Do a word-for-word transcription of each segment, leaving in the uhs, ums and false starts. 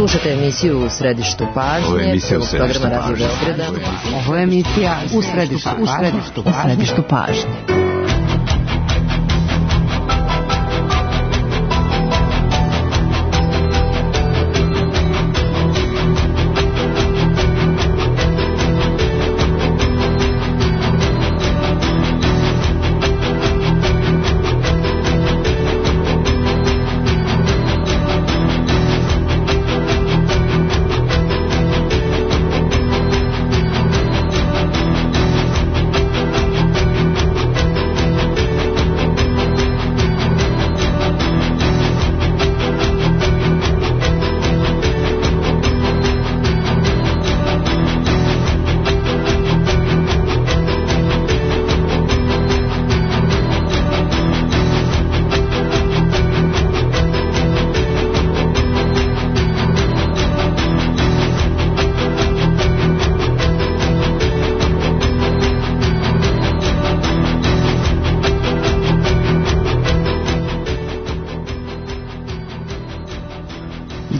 Slušajte emisiju U središtu pažnje. Ovo je emisija U središtu pažnje. Ovo je emisija U središtu pažnje. U središtu pažnje.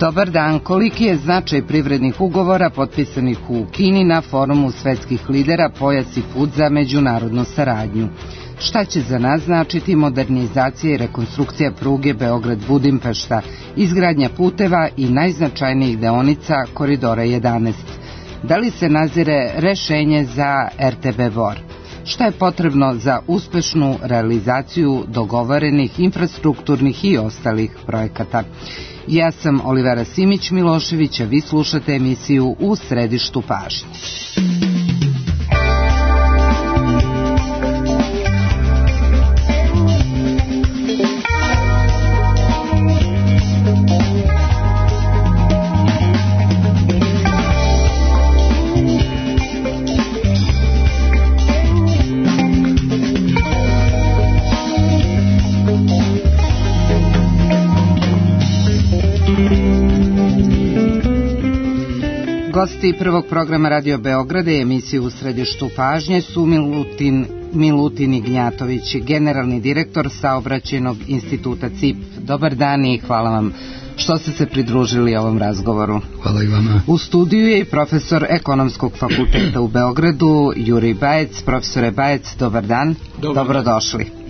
Dobar dan, koliki je značaj privrednih ugovora potpisanih u Kini na forumu svetskih lidera Pojas i put za međunarodnu saradnju? Šta će za nas značiti modernizacija i rekonstrukcija pruge Beograd-Budimpešta, izgradnja puteva i najznačajnijih deonica Koridora jedanaest? Da li se nazire rešenje za er te be Bor? Šta je potrebno za uspešnu realizaciju dogovorenih infrastrukturnih i ostalih projekata? Ja sam Olivera Simić-Milošević, a vi slušate emisiju U središtu pažnje. Gosti prvog programa Radio Beograda i emisije U središtu pažnje su Milutin, Milutin Ignjatović, generalni direktor Saobraćajnog instituta C I P. Dobar dan i hvala vam što ste se pridružili ovom razgovoru. Hvala i vama. U studiju je i profesor Ekonomskog fakulteta u Beogradu, Jurij Bajec. Profesore Bajec, dobar dan. Dobar. Dobrodošli.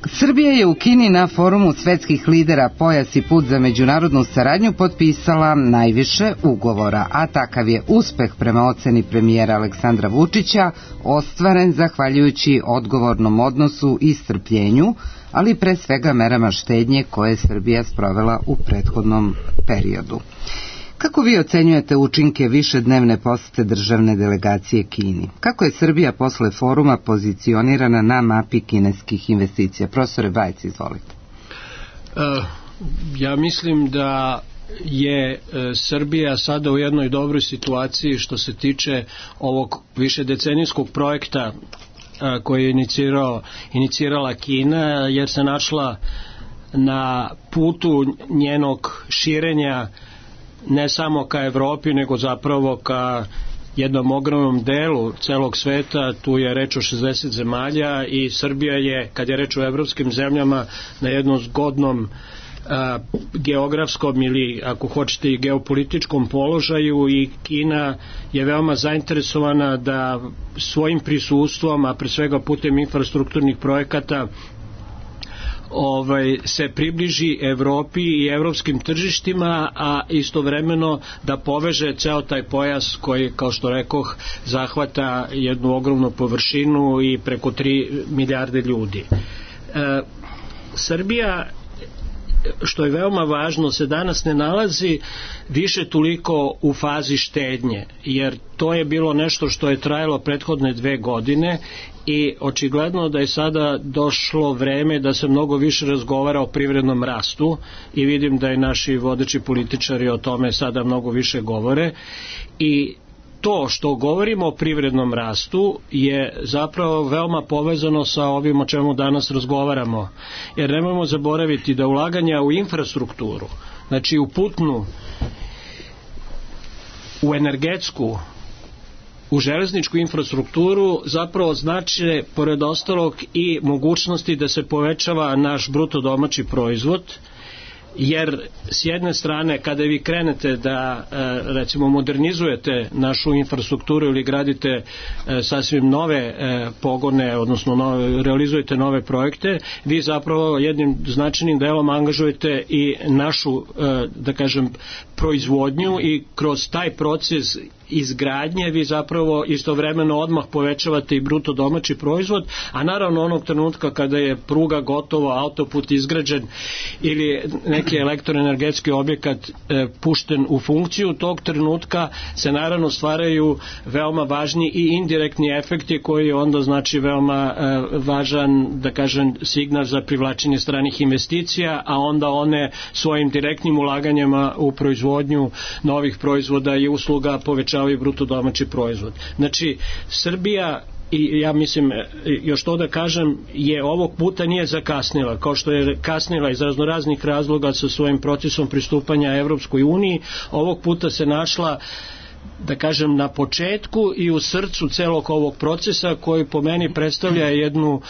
Srbija je u Kini na forumu svetskih lidera Pojas i put za međunarodnu saradnju potpisala najviše ugovora, a takav je uspeh prema oceni premijera Aleksandra Vučića ostvaren zahvaljujući odgovornom odnosu i strpljenju, ali pre svega merama štednje koje je Srbija sprovela u prethodnom periodu. Kako vi ocenjujete učinke višednevne posete državne delegacije Kini? Kako je Srbija posle foruma pozicionirana na mapi kineskih investicija? Profesore Bajec, izvolite. Uh, ja mislim da je uh, Srbija sada u jednoj dobroj situaciji što se tiče ovog višedecenijskog projekta uh, koji je inicirao, inicirala Kina, jer se našla na putu njenog širenja ne samo ka Evropi, nego zapravo ka jednom ogromnom delu celog sveta. Tu je reč o šezdeset zemalja i Srbija je, kad je reč o evropskim zemljama, na jednom zgodnom a, geografskom ili, ako hoćete, i geopolitičkom položaju, i Kina je veoma zainteresovana da svojim prisustvom, a pre svega putem infrastrukturnih projekata, Ovaj, se približi Evropi i evropskim tržištima, a istovremeno da poveže ceo taj pojas koji, kao što rekoh, zahvata jednu ogromnu površinu i preko tri milijarde ljudi. E, Srbija, što je veoma važno, se danas ne nalazi više toliko u fazi štednje, jer to je bilo nešto što je trajalo prethodne dve godine i očigledno da je sada došlo vreme da se mnogo više razgovara o privrednom rastu i vidim da i naši vodeći političari o tome sada mnogo više govore. I to što govorimo o privrednom rastu je zapravo veoma povezano sa ovim o čemu danas razgovaramo, jer nemojmo zaboraviti da ulaganja u infrastrukturu, znači u putnu, u energetsku, u železničku infrastrukturu, zapravo znači, pored ostalog, i mogućnosti da se povećava naš bruto domaći proizvod, jer s jedne strane kada vi krenete da recimo modernizujete našu infrastrukturu ili gradite sasvim nove pogone, odnosno nove, realizujete nove projekte, vi zapravo jednim značajnim delom angažujete i našu, da kažem, proizvodnju i kroz taj proces izgradnje vi zapravo istovremeno odmah povećavate i bruto domaći proizvod, a naravno onog trenutka kada je pruga gotova, autoput izgrađen ili neki elektroenergetski objekat e, pušten u funkciju, tog trenutka se naravno stvaraju veoma važni i indirektni efekti koji onda znači veoma e, važan, da kažem, signal za privlačenje stranih investicija, a onda one svojim direktnim ulaganjima u proizvodnju novih proizvoda i usluga povećavaju i bruto domaći proizvod. Znači, Srbija, i ja mislim, još to da kažem, je ovog puta nije zakasnila, kao što je kasnila iz raznoraznih razloga sa svojim procesom pristupanja Evropskoj uniji, ovog puta se našla, da kažem, na početku i u srcu celog ovog procesa koji po meni predstavlja jednu,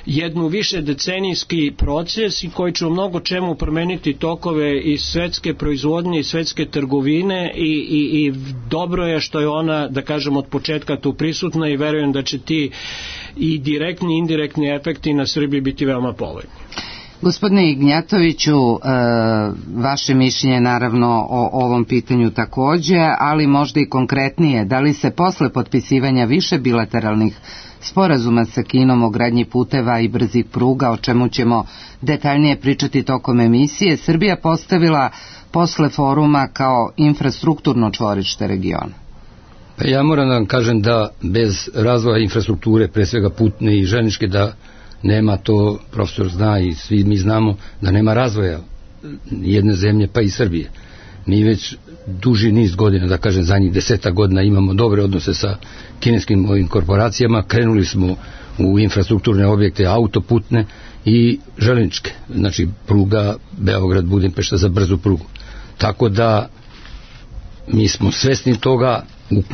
jednu više decenijski proces i koji će u mnogo čemu promeniti tokove i svetske proizvodnje i svetske trgovine i, i, i dobro je što je ona, da kažem, od početka tu prisutna i verujem da će ti i direktni i indirektni efekti na Srbiji biti veoma povoljni. Gospodine Ignjatoviću, vaše mišljenje naravno o ovom pitanju takođe, ali možda i konkretnije, da li se posle potpisivanja više bilateralnih sporazuma sa Kinom o gradnji puteva i brzih pruga, o čemu ćemo detaljnije pričati tokom emisije, Srbija postavila posle foruma kao infrastrukturno čvorište regiona? Pa ja moram da vam kažem da bez razvoja infrastrukture, pre svega putne i železničke, da nema, to profesor zna i svi mi znamo, da nema razvoja jedne zemlje pa i Srbije. Mi već duži niz godina, da kažem zadnjih deseta godina, imamo dobre odnose sa kineskim ovim korporacijama, krenuli smo u infrastrukturne objekte, autoputne i železničke, znači pruga Beograd Budimpešta za brzu prugu. Tako da mi smo svesni toga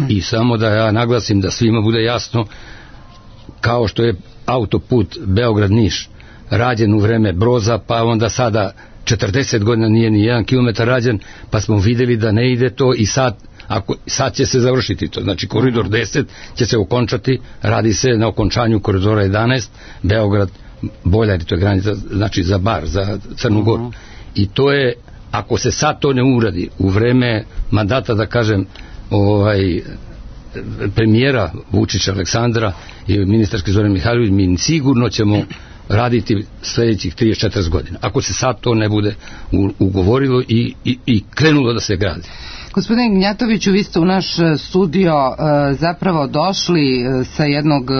i samo da ja naglasim da svima bude jasno, kao što je autoput Beograd-Niš rađen u vreme Broza, pa onda sada četrdeset godina nije ni jedan kilometar rađen, pa smo videli da ne ide to i sad, ako, sad će se završiti to. Znači koridor deset će se okončati, radi se na okončanju koridora jedanaest, Beograd, Boljari, to je granica, znači za Bar, za Crnu Goru. I to je, ako se sad to ne uradi u vreme mandata, da kažem, ovaj premijera Vučića Aleksandra i ministarski Zoran Mihajlović, mi sigurno ćemo raditi sledećih trideset četrdeset godina. Ako se sad to ne bude ugovorilo i, i, i krenulo da se gradi. Gospodine Ignjatoviću, vi ste u naš studio e, zapravo došli e, sa jednog e,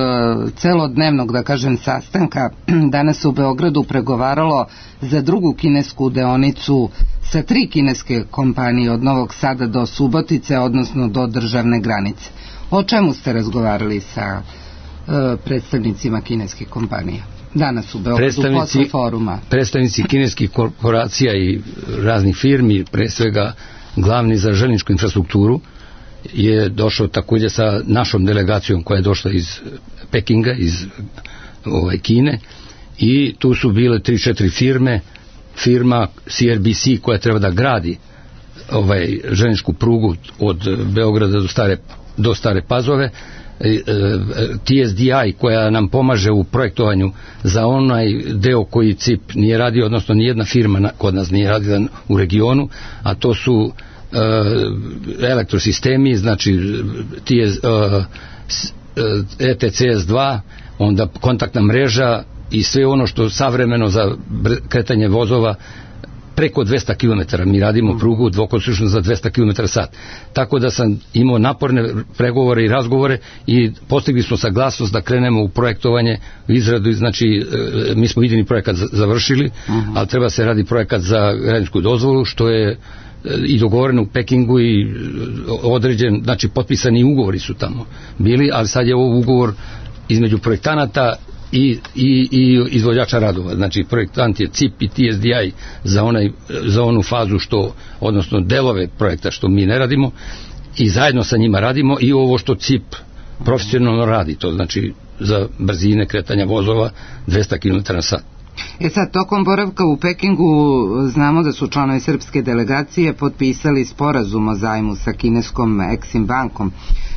celodnevnog, da kažem, sastanka. Danas se u Beogradu pregovaralo za drugu kinesku deonicu sa tri kineske kompanije od Novog Sada do Subotice, odnosno do državne granice. O čemu ste razgovarali sa e, predstavnicima kineskih kompanija danas u Beogradu posle foruma? Predstavnici kineskih korporacija i raznih firmi, pre svega glavni za železničku infrastrukturu, je došao takođe sa našom delegacijom koja je došla iz Pekinga, iz ovaj, Kine, i tu su bile tri četiri firme, firma C R B C koja treba da gradi ovaj železničku prugu od Beograda do Stare, do Stare Pazove, T S D I koja nam pomaže u projektovanju za onaj deo koji C I P nije radio, odnosno nijedna firma kod nas nije radila u regionu, a to su uh, elektrosistemi, znači T S, uh, E T C S dva, onda kontaktna mreža i sve ono što savremeno za kretanje vozova preko dvesta kilometara. Mi radimo prugu dvokolosečnu za dvesta kilometara sat. Tako da sam imao naporne pregovore i razgovore i postigli smo saglasnost da krenemo u projektovanje, u izradu, znači mi smo idejni projekat završili, uh-huh. ali treba se radi projekat za građevinsku dozvolu, što je i dogovoreno u Pekingu i određen, znači potpisani ugovori su tamo bili, ali sad je ovo ugovor između projektanata I, i, i izvođača radova. Znači projektant je C I P i T S D I za, onaj, za onu fazu što, odnosno delove projekta što mi ne radimo, i zajedno sa njima radimo i ovo što C I P profesionalno radi, to znači za brzine kretanja vozova dvesta kilometara na sat. E sad, tokom boravka u Pekingu znamo da su članovi srpske delegacije potpisali sporazum o zajmu sa kineskom Exim bankom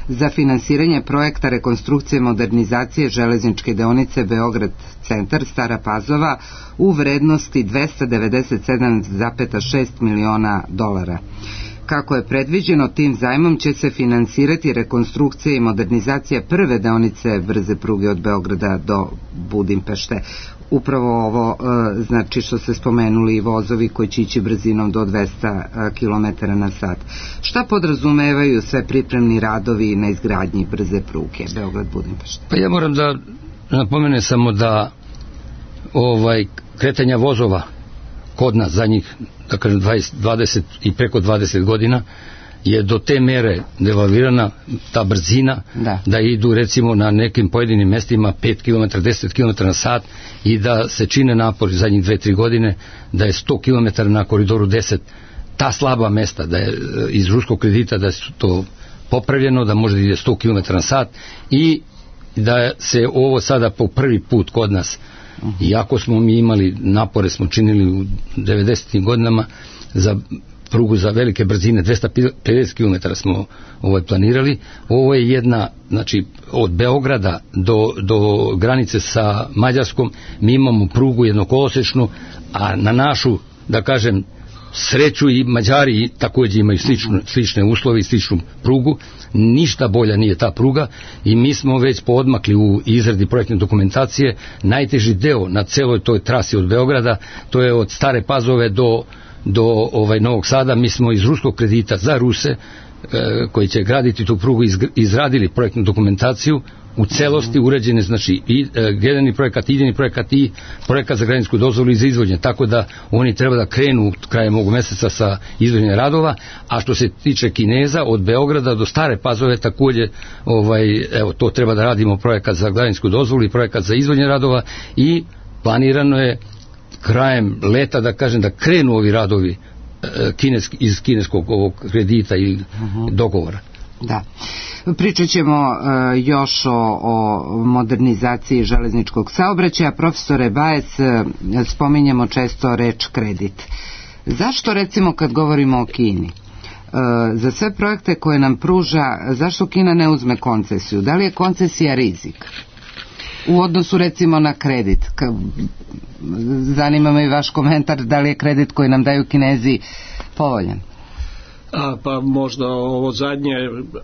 za finansiranje projekta rekonstrukcije modernizacije železničke deonice Beograd centar Stara Pazova u vrednosti dvesta devedeset sedam zarez šest miliona dolara. Kako je predviđeno, tim zajmom će se finansirati rekonstrukcija i modernizacija prve deonice brze pruge od Beograda do Budimpešte. Upravo ovo, znači što ste spomenuli, vozovi koji će ići brzinom do dvesta kilometara na sat. Šta podrazumevaju sve pripremni radovi na izgradnji brze pruge Beograd-Budimpešta? Pa ja moram da napomenem samo da ovaj kretanja vozova kod nas za njih, da kažem dvadeset, dvadeset i preko dvadeset godina je do te mere devalvirana ta brzina da. da idu recimo na nekim pojedinim mestima pet kilometara, deset kilometara na sat i da se čine napori zadnjih dve tri godine da je sto kilometara na koridoru deset ta slaba mesta, da je iz ruskog kredita da je to popravljeno, da može da ide sto kilometara na sat i da se ovo sada po prvi put kod nas, iako smo mi imali napore, smo činili u devedesetim godinama za prugu za velike brzine, dvesta pedeset kilometara smo ovaj planirali. Ovo je jedna, znači od Beograda do, do granice sa Mađarskom mi imamo prugu jednokolosečnu, a na našu, da kažem, sreću i Mađari također imaju slične, slične uslove i sličnu prugu, ništa bolja nije ta pruga i mi smo već poodmakli u izradi projektne dokumentacije. Najteži deo na celoj toj trasi od Beograda, to je od Stare Pazove do do ovaj Novog Sada. Mi smo iz ruskog kredita za Ruse e, koji će graditi tu prugu izradili projektnu dokumentaciju u celosti uređene, znači i e, generalni projekat, idejni projekat i projekat za građevinsku dozvolu i za izvođenje, tako da oni treba da krenu krajem ovog meseca sa izvođenjem radova. A što se tiče Kineza, od Beograda do Stare Pazove također ovaj, evo, to treba da radimo projekat za građevinsku dozvolu i projekat za izvođenje radova i planirano je krajem leta, da kažem, da krenu ovi radovi kineski, iz kineskog ovog kredita i uh-huh. dogovora. Da. Pričat ćemo uh, još o, o modernizaciji železničkog saobraćaja. Profesore Bajec, uh, spominjemo često reč kredit. Zašto recimo kad govorimo o Kini? Uh, za sve projekte koje nam pruža, zašto Kina ne uzme koncesiju? Da li je koncesija rizik? U odnosu recimo na kredit. Zanima me i vaš komentar, da li je kredit koji nam daju Kinezi povoljan? A, pa možda ovo zadnje,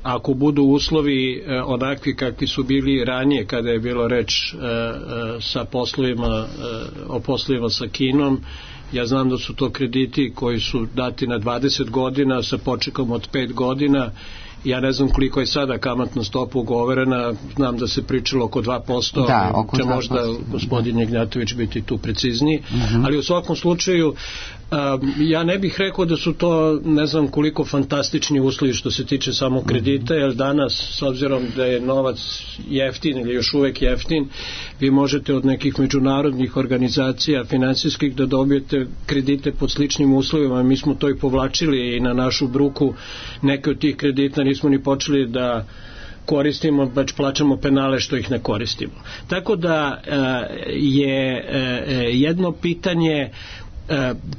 ako budu uslovi e, onakvi kakvi su bili ranije kada je bilo reč e, e, sa poslovima, e, o poslovima sa Kinom, ja znam da su to krediti koji su dati na dvadeset godina sa počekom od pet godina. Ja ne znam koliko je sada kamatna stopa ugovorena, znam da se pričalo oko dva posto, da, oko će dva možda gospodin Jegnjatović biti tu precizniji, uh-huh. ali u svakom slučaju ja ne bih rekao da su to ne znam koliko fantastični uslovi što se tiče samog kredita, jer danas s obzirom da je novac jeftin ili još uvek jeftin, vi možete od nekih međunarodnih organizacija finansijskih da dobijete kredite pod sličnim uslovima. Mi smo to i povlačili i na našu bruku neke od tih kredita nismo ni počeli da koristimo, baš plaćamo penale što ih ne koristimo. Tako da je jedno pitanje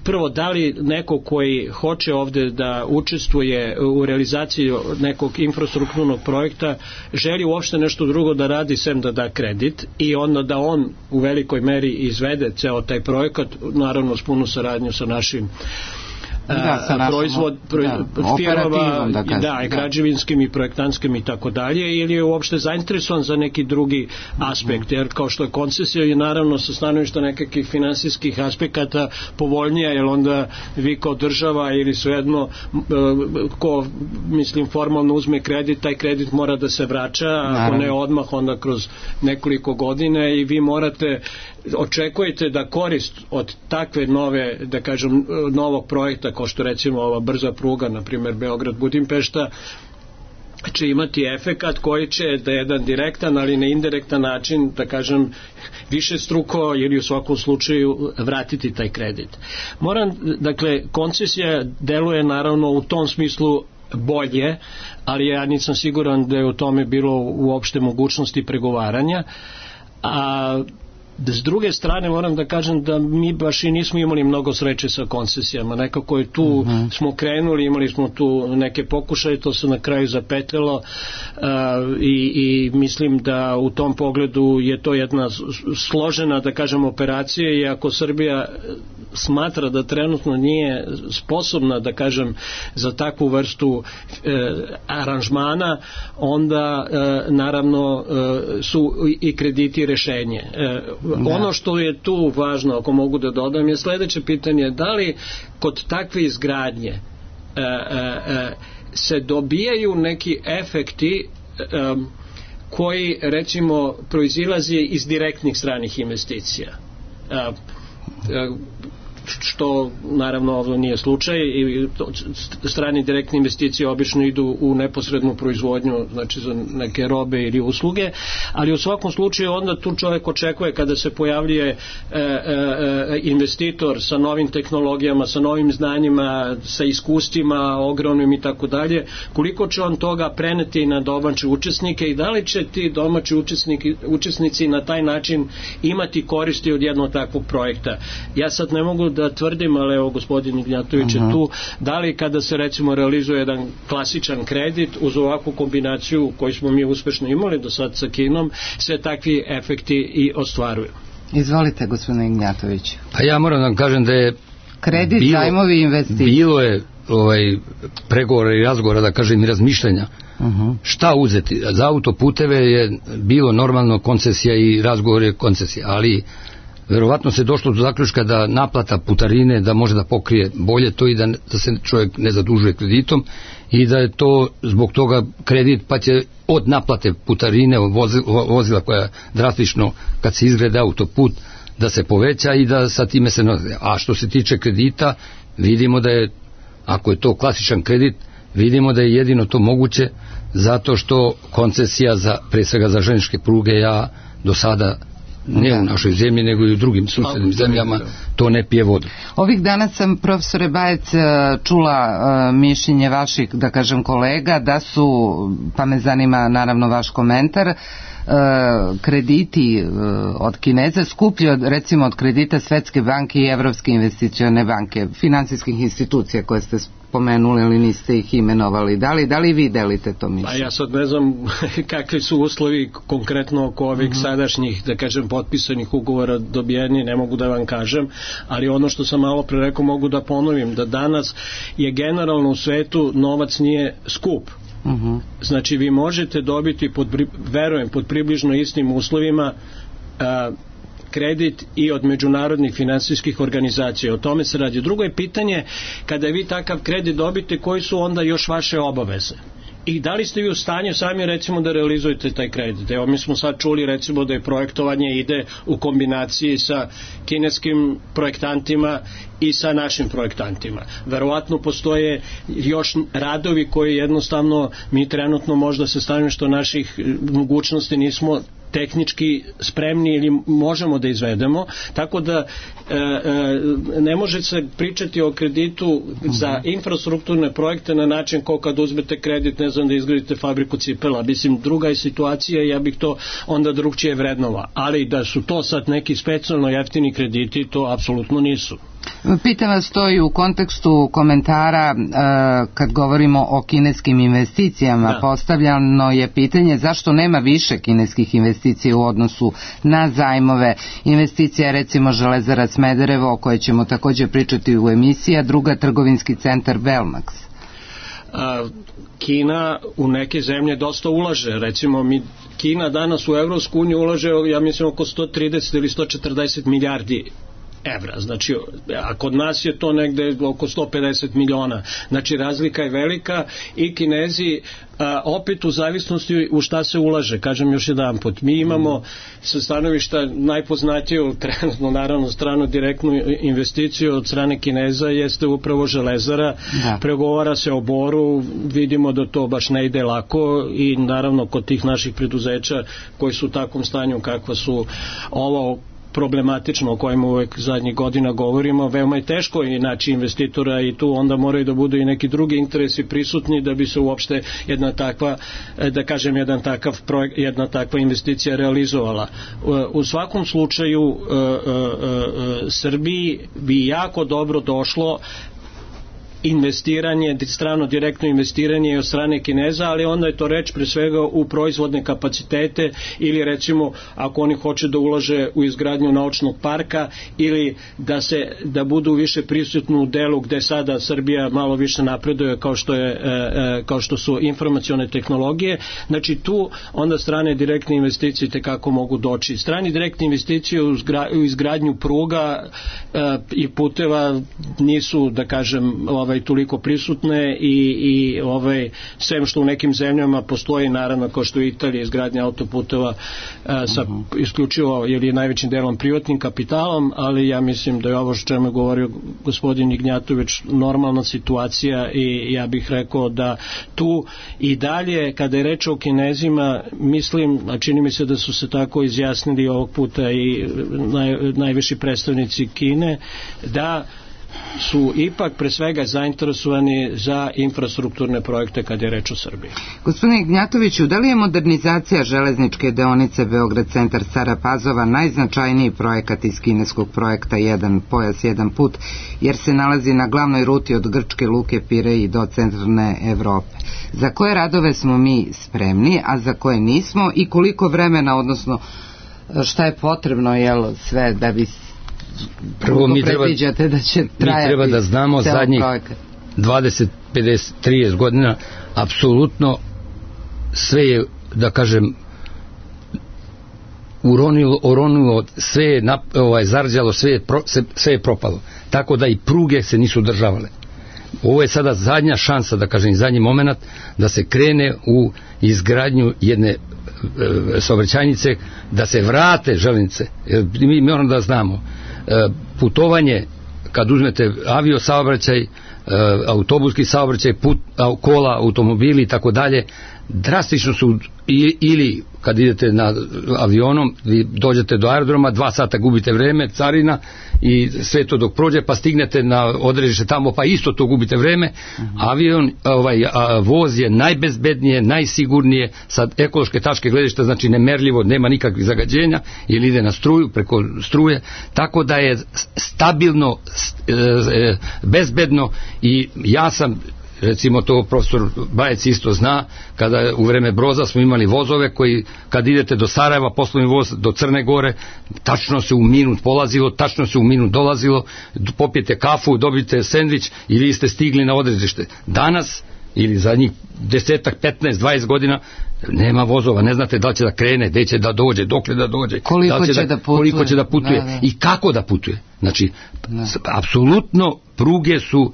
prvo, da li neko koji hoće ovde da učestvuje u realizaciji nekog infrastrukturnog projekta želi uopšte nešto drugo da radi sem da da kredit i onda da on u velikoj meri izvede ceo taj projekat, naravno s punu saradnju sa našim Da, sa našom, proizvod pro, da, firmama da, kažem, da, i građevinskim i projektantskim i tako dalje, ili je uopšte zainteresovan za neki drugi aspekt, jer kao što je koncesija je naravno sa stanovišta nekakvih finansijskih aspekata povoljnija, jer onda vi kao država ili svejedno ko mislim formalno uzme kredit, taj kredit mora da se vraća, ako ne odmah onda kroz nekoliko godina i vi morate očekujete da korist od takve nove, da kažem, novog projekta, kao što recimo ova brza pruga, na primjer Beograd-Budimpešta, će imati efekat koji će da je jedan direktan, ali na indirektan način, da kažem, više struko ili u svakom slučaju vratiti taj kredit. Moram, dakle, koncesija deluje naravno u tom smislu bolje, ali ja nisam siguran da je u tome bilo uopšte mogućnosti pregovaranja, a S druge strane moram da kažem da mi baš i nismo imali mnogo sreće sa koncesijama, nekako je tu uh -huh. smo krenuli, imali smo tu neke pokušaje, to se na kraju zapetljalo uh, i, i mislim da u tom pogledu je to jedna složena, da kažem, operacija, i ako Srbija smatra da trenutno nije sposobna, da kažem, za takvu vrstu e, aranžmana, onda e, naravno e, su i krediti rešenje. E, ono što je tu važno, ako mogu da dodam, je sledeće pitanje: da li kod takve izgradnje e, e, se dobijaju neki efekti e, koji, recimo, proizilazi iz direktnih stranih investicija, e, e, što naravno ovdje nije slučaj, i strane direktne investicije obično idu u neposrednu proizvodnju, znači za neke robe ili usluge, ali u svakom slučaju onda tu čovjek očekuje, kada se pojavljuje e, e, investitor sa novim tehnologijama, sa novim znanjima, sa iskustvima ogromnim i tako dalje, koliko će on toga preneti na domaće učesnike i da li će ti domaći učesnici, učesnici na taj način imati koristi od jednog takvog projekta. Ja sad ne mogu da tvrdim, ali evo gospodin Ignjatović je tu, da li kada se recimo realizuje jedan klasičan kredit uz ovakvu kombinaciju koju smo mi uspešno imali do sad sa Kinom, se takvi efekti i ostvaruju. Izvolite, gospodine Ignjatović. Pa ja moram da vam kažem da je kredit, bilo, zajmovi, investicije. Bilo je ovaj, pregovora i razgovora, da kažem, i razmišljanja. Uh-huh. Šta uzeti? Za autoputeve je bilo normalno koncesija i razgovor je koncesija, ali verovatno se došlo do zaključka da naplata putarine da može da pokrije bolje to i da, da se čovjek ne zadužuje kreditom i da je to zbog toga kredit, pa će od naplate putarine vozila koja drastično kad se izgrade autoput da se poveća i da sa time se... A što se tiče kredita, vidimo da je, ako je to klasičan kredit, vidimo da je jedino to moguće zato što koncesija za, pre svega za željezničke pruge, ja do sada ne u našoj zemlji, nego i u drugim susednim zemljama, to ne pije vodu. Ovih dana sam, profesore Bajec, čula mišljenje vaših, da kažem, kolega, da su, pa me zanima naravno vaš komentar, krediti od Kineza skuplji od, recimo, od kredita Svetske banke i Evropske investicione banke, finansijskih institucija koje ste spomenuli, ali niste ih imenovali. Da li, da li vi delite to mišljenje? Pa ja sad ne znam kakvi su uslovi konkretno oko ovih uh-huh. sadašnjih, da kažem, potpisanih ugovora dobijeni, ne mogu da vam kažem, ali ono što sam malo pre rekao mogu da ponovim, da danas je generalno u svetu novac nije skup. Uh-huh. Znači vi možete dobiti, pod, verujem, pod približno istim uslovima a, kredit i od međunarodnih finansijskih organizacija. O tome se radi. Drugo je pitanje, kada vi takav kredit dobite, koji su onda još vaše obaveze? I da li ste vi u stanju sami, recimo, da realizujete taj kredit? Evo, mi smo sad čuli, recimo, da je projektovanje ide u kombinaciji sa kineskim projektantima i sa našim projektantima. Verovatno postoje još radovi koji jednostavno mi trenutno možda se stavimo što naših mogućnosti nismo tehnički spremni ili možemo da izvedemo, tako da e, e, ne može se pričati o kreditu za infrastrukturne projekte na način kao kad uzmete kredit, ne znam, da izgradite fabriku cipela. Mislim, druga je situacija, ja bih to onda drugčije vrednova, ali da su to sad neki specijalno jeftini krediti, to apsolutno nisu. Pitam vas to i u kontekstu komentara uh, kad govorimo o kineskim investicijama. Da. Postavljano je pitanje zašto nema više kineskih investicija u odnosu na zajmove. Investicija, recimo, Železara Smederevo, o kojoj ćemo također pričati u emisiji, a druga trgovinski centar Belmax. A, Kina u neke zemlje dosta ulaže, recimo mi, Kina danas u Evropsku uniju ulaže, ja mislim, oko sto trideset ili sto četrdeset milijardi evra, znači, a kod nas je to negde oko sto pedeset miliona, znači razlika je velika i Kinezi a, opet u zavisnosti u šta se ulaže, kažem još jedan put, mi imamo sa stanovišta najpoznatiju trenutno, naravno, stranu direktnu investiciju od strane Kineza jeste upravo Železara, da. Pregovara se o Boru, vidimo da to baš ne ide lako i naravno kod tih naših preduzeća koji su u takvom stanju kakva su ovo problematično o kojem uvek zadnjih godina govorimo, veoma je teško i naći investitora i tu onda moraju da budu i neki drugi interesi prisutni da bi se uopšte jedna takva, da kažem, jedan takav projekt, jedna takva investicija realizovala. U svakom slučaju Srbiji bi jako dobro došlo investiranje, strano direktno investiranje od strane Kineza, ali onda je to reč pre svega u proizvodne kapacitete ili recimo ako oni hoće da ulaže u izgradnju naučnog parka ili da se da budu više prisutni u delu gde sada Srbija malo više napreduje kao što je kao što su informacione tehnologije. Znači tu onda strane direktne investicije tekako mogu doći. Strani direktne investicije u izgradnju pruga i puteva nisu, da kažem, ovaj toliko prisutne i, i ovaj, sem što u nekim zemljama postoji naravno kao što je Italija izgradnja autoputeva a, sa isključivo jer je najvećim delom privatnim kapitalom, ali ja mislim da je ovo što čemu je govorio gospodin Ignjatović normalna situacija i ja bih rekao da tu i dalje kada je reč o Kinezima mislim, a čini mi se da su se tako izjasnili ovog puta i naj, najviši predstavnici Kine, da su ipak pre svega zainteresovani za infrastrukturne projekte kad je reč o Srbiji. Gospodine Ignjatoviću, da li je modernizacija železničke deonice Beograd centar Stara Pazova najznačajniji projekat iz kineskog projekta Jedan pojas, jedan put, jer se nalazi na glavnoj ruti od Grčke luke Pirej do centralne Evrope? Za koje radove smo mi spremni, a za koje nismo i koliko vremena, odnosno šta je potrebno, jel, sve da bi prvo mi treba, da će mi treba da znamo zadnjih dvadeset, pedeset, trideset godina apsolutno sve je, da kažem, uronilo, oronilo, sve je nap, ovaj, zarđalo, sve je, pro, sve je propalo. Tako da i pruge se nisu održavale. Ovo je sada zadnja šansa, da kažem, zadnji moment da se krene u izgradnju jedne e, saobraćajnice, da se vrate železnice. Mi moramo da znamo putovanje, kad uzmete avio saobraćaj, autobuski saobraćaj, put, kola, automobili i tako dalje, drastično su ili kad idete na avionom, vi dođete do aerodroma, dva sata gubite vreme, carina i sve to dok prođe, pa stignete na odredište tamo, pa isto to gubite vreme. Avion, ovaj, a, voz je najbezbednije, najsigurnije, sa ekološke tačke gledišta, znači nemerljivo, nema nikakvih zagađenja, ili ide na struju, preko struje, tako da je stabilno, bezbedno i ja sam, recimo to profesor Bajec isto zna, kada u vreme Broza smo imali vozove koji kad idete do Sarajeva, poslovni voz do Crne Gore, tačno se u minut polazilo, tačno se u minut dolazilo, popijete kafu, dobijete sendvič i vi ste stigli na odredište. Danas ili za njih desetak, petnaest, dvadeset godina nema vozova, ne znate da li će da krene, gde će da dođe, dokle da dođe, koliko, da će, će, da, da putuje. koliko će da putuje da, da. I kako da putuje. Znači, da. apsolutno pruge su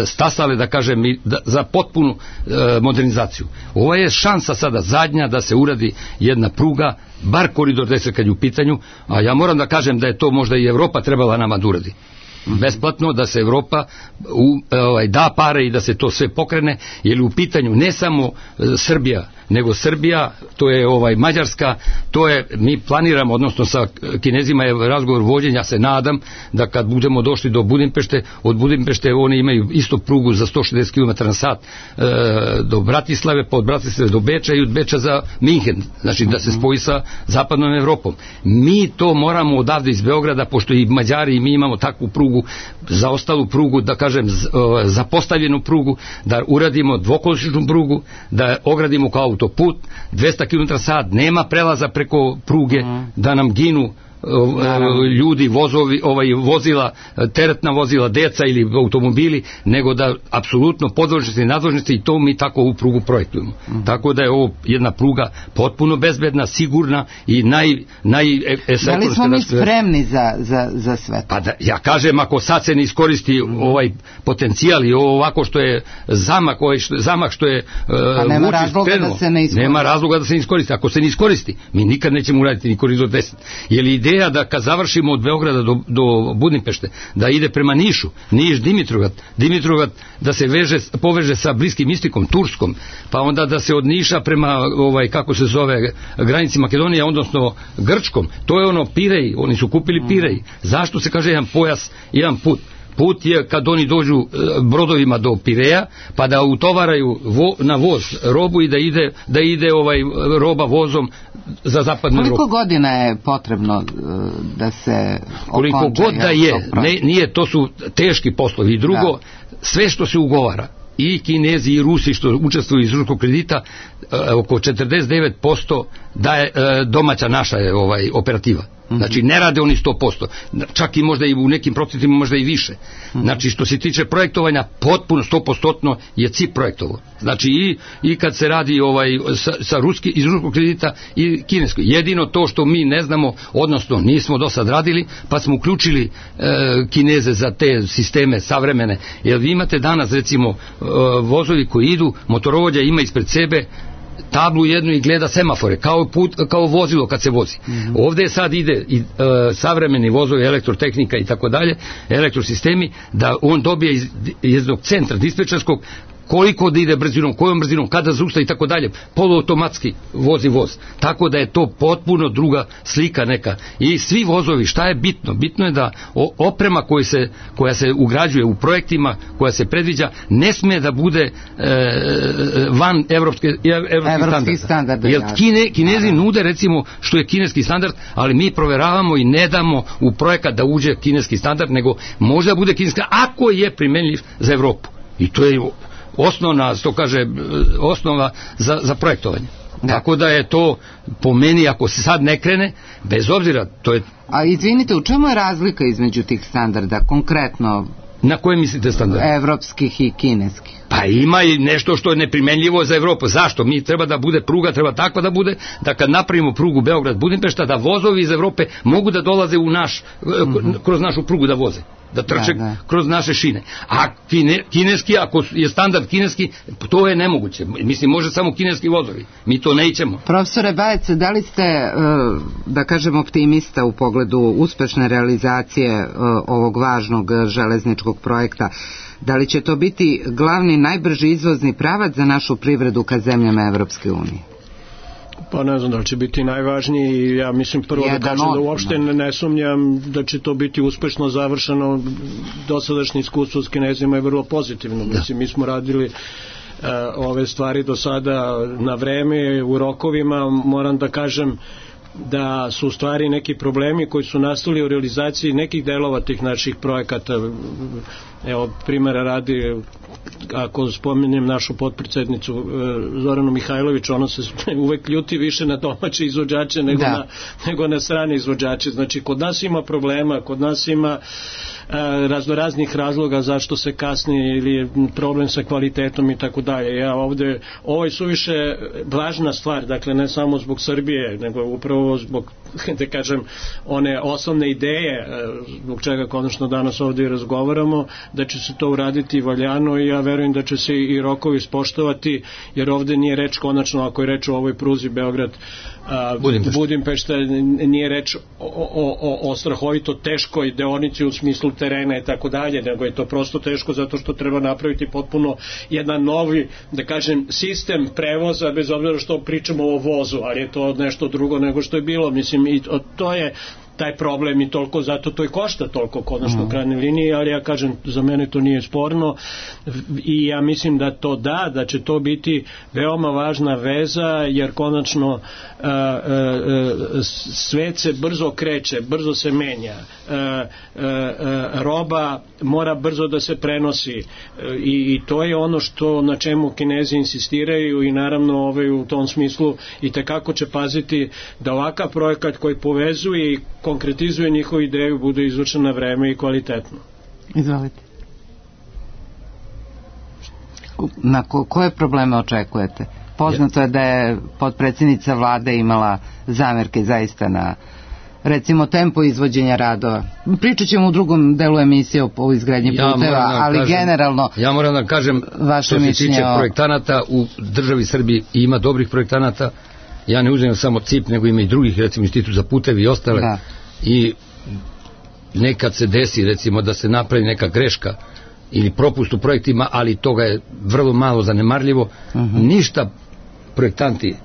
stasale, da kažem, za potpunu e, modernizaciju. Ovo je šansa sada zadnja da se uradi jedna pruga, bar koridor deset kad je u pitanju, a ja moram da kažem da je to možda i Evropa trebala nama da uradi. Besplatno, da se Evropa u, ovaj, da pare i da se to sve pokrene, jer u pitanju ne samo e, Srbija, nego Srbija, to je ovaj Mađarska, to je, mi planiramo, odnosno sa Kinezima je razgovor vođen, ja se nadam da kad budemo došli do Budimpešte, od Budimpešte oni imaju isto prugu za sto šezdeset kilometara na sat e, do Bratislave, pa od Bratislave do Beča i od Beča za Minhen, znači da se spoji sa zapadnom Evropom. Mi to moramo odavde iz Beograda, pošto i Mađari i mi imamo takvu prugu, za ostalu prugu, da kažem, zapostavljenu prugu, da uradimo dvokolosječnu prugu, da ogradimo kao autoput, dvesta kilometara sat, nema prelaza preko pruge, mm. da nam ginu Naravno. ljudi, vozovi, ovaj, vozila, teretna vozila, deca ili automobili, nego da apsolutno podvožnosti i nadvožnosti i to mi tako ovu prugu projektujemo. Mm. Tako da je ovo jedna pruga potpuno bezbedna, sigurna i naj... naj da li smo mi spremni za, za, za sve to? Pa da, ja kažem, ako sad se ne iskoristi mm. ovaj potencijal i ovo ovako što je zamah, ovaj što, zamah što je pa nema razloga krenuo, da se ne iskoristi. Nema razloga da se ne iskoristi. Ako se ne iskoristi, mi nikad nećemo uraditi ni koridor deset. Je li ideja ideja da kad završimo od Beograda do, do Budimpešte, da ide prema Nišu, Niš, Dimitrovgrad, Dimitrovgrad da se veže, poveže sa Bliskim istokom, Turskom, pa onda da se od Niša prema, ovaj, kako se zove, granici Makedonije, odnosno Grčkom, to je ono Pirej, oni su kupili Pirej. Zašto se kaže jedan pojas, jedan put? Put je kad oni dođu brodovima do Pireja, pa da utovaraju vo, na voz robu i da ide, da ide ovaj roba vozom za zapadnu Evropu. Koliko godina je potrebno da se koliko okonča? God da je, ne, nije, to su teški poslovi. I drugo, da. Sve što se ugovara, i Kinezi i Rusi što učestvuju iz ruskog kredita, oko četrdeset devet posto daje domaća naša je ovaj operativa. Znači ne rade oni sto posto, čak i možda i u nekim procentima možda i više. Znači što se tiče projektovanja, potpuno sto posto je C I P projektovo. Znači i, i kad se radi ovaj sa, sa ruski, iz ruskog kredita i kinesko. Jedino to što mi ne znamo, odnosno nismo do sad radili, pa smo uključili e, Kineze za te sisteme savremene. Jer vi imate danas recimo e, vozovi koji idu, motorovođa ima ispred sebe tablu jednu i gleda semafore, kao, put, kao vozilo kad se vozi. Mm-hmm. Ovdje sad ide i, e, savremeni vozovi, elektrotehnika i tako dalje, elektrosistemi, da on dobije iz jednog centra dispečerskog koliko da ide brzinom, kojom brzinom, kada zausta i tako dalje, poluautomatski vozi voz. Tako da je to potpuno druga slika neka. I svi vozovi, šta je bitno? Bitno je da oprema koja se, koja se ugrađuje u projektima, koja se predviđa, ne sme da bude e, van evropske, evropskih standarda. Jer kine, Kinezi nude recimo što je kineski standard, ali mi proveravamo i ne damo u projekat da uđe kineski standard, nego možda bude kineski, ako je primenljiv za Evropu. I to je osnovna, što kaže, osnova za, za projektovanje. Da. Tako da je to, po meni, ako se sad ne krene, bez obzira, to je... A izvinite, u čemu je razlika između tih standarda, konkretno? Na koje mislite standarde? Evropskih i kineskih. Pa ima i nešto što je neprimenljivo za Evropu. Zašto? Mi treba da bude pruga, treba takva da bude, da kad napravimo prugu Beograd-Budimpešta, da vozovi iz Evrope mogu da dolaze u naš, mm-hmm. kroz našu prugu da voze. Da trče da, da. kroz naše šine. A kine, kineski, ako je standard kineski, to je nemoguće. Mislim, može samo kineski vozovi. Mi to nećemo. Profesore Bajec, da li ste, da kažem, optimista u pogledu uspešne realizacije ovog važnog železničkog projekta? Da li će to biti glavni, najbrži izvozni pravac za našu privredu ka zemljama Evropske unije? Pa ne znam da li će biti najvažniji. Ja mislim prvo Jedan da kažem da uopšte ne, ne sumnjam da će to biti uspešno završeno. Dosadašnje iskustvo s Kinezima je vrlo pozitivno. Da. Mislim, mi smo radili uh, ove stvari do sada na vreme, u rokovima. Moram da kažem da su u stvari neki problemi koji su nastali u realizaciji nekih delova tih naših projekata. Evo, primjera radi, ako spominjem našu potpredsednicu Zoranu Mihajlović, ona se uvek ljuti više na domaće izvođače nego, na, nego na strane izvođače. Znači, kod nas ima problema, kod nas ima raznoraznih razloga zašto se kasni ili je problem sa kvalitetom i tako dalje. Ja ovde, ovo je suviše važna stvar, dakle ne samo zbog Srbije, nego upravo zbog, da kažem, one osnovne ideje zbog čega konačno danas ovde razgovaramo, da će se to uraditi valjano i ja verujem da će se i rokovi ispoštovati, jer ovde nije reč konačno, ako je reč o ovoj pruzi Beograd Budimpešta. Budimpešta, nije reč o, o, o, o strahovito teškoj deonici u smislu terena i tako dalje, nego je to prosto teško zato što treba napraviti potpuno jedan novi, da kažem, sistem prevoza, bez obzira što pričamo o vozu, ali je to nešto drugo nego što je bilo. Mislim, i to je taj problem i toliko, zato to i košta toliko konačno u krajnjoj liniji, ali ja kažem, za mene to nije sporno i ja mislim da to da, da će to biti veoma važna veza, jer konačno a, a, a, svet se brzo kreće, brzo se menja, a, a, a, roba mora brzo da se prenosi a, i, i to je ono što na čemu Kinezi insistiraju i naravno ovaj, u tom smislu i tekako će paziti da ovakav projekat koji povezuje i konkretizuje njihovu ideju bude izvršen na vreme i kvalitetno. Izvolite. Na ko, koje probleme očekujete? Poznato je da je potpredsjednica vlade imala zamerke zaista na, recimo, tempo izvođenja radova. Pričat ćemo u drugom delu emisije o, o izgradnji ja puteva, ali kažem, generalno ja moram da kažem što se tiče o... projektanata u državi Srbiji ima dobrih projektanata. Ja ne uzimam samo C I P, nego ima i drugih, recimo Institut za putevi i ostale. Da. i nekad se desi recimo da se napravi neka greška ili propust u projektima, ali toga je vrlo malo zanemarljivo. Uh-huh. Ništa projektanti,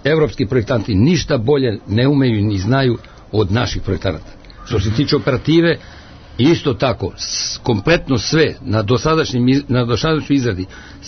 evropski projektanti ništa bolje ne umeju ni znaju od naših projektanata. Što se tiče operative, isto tako, kompletno sve na dosadašnjem, na dosadašnjoj izradi,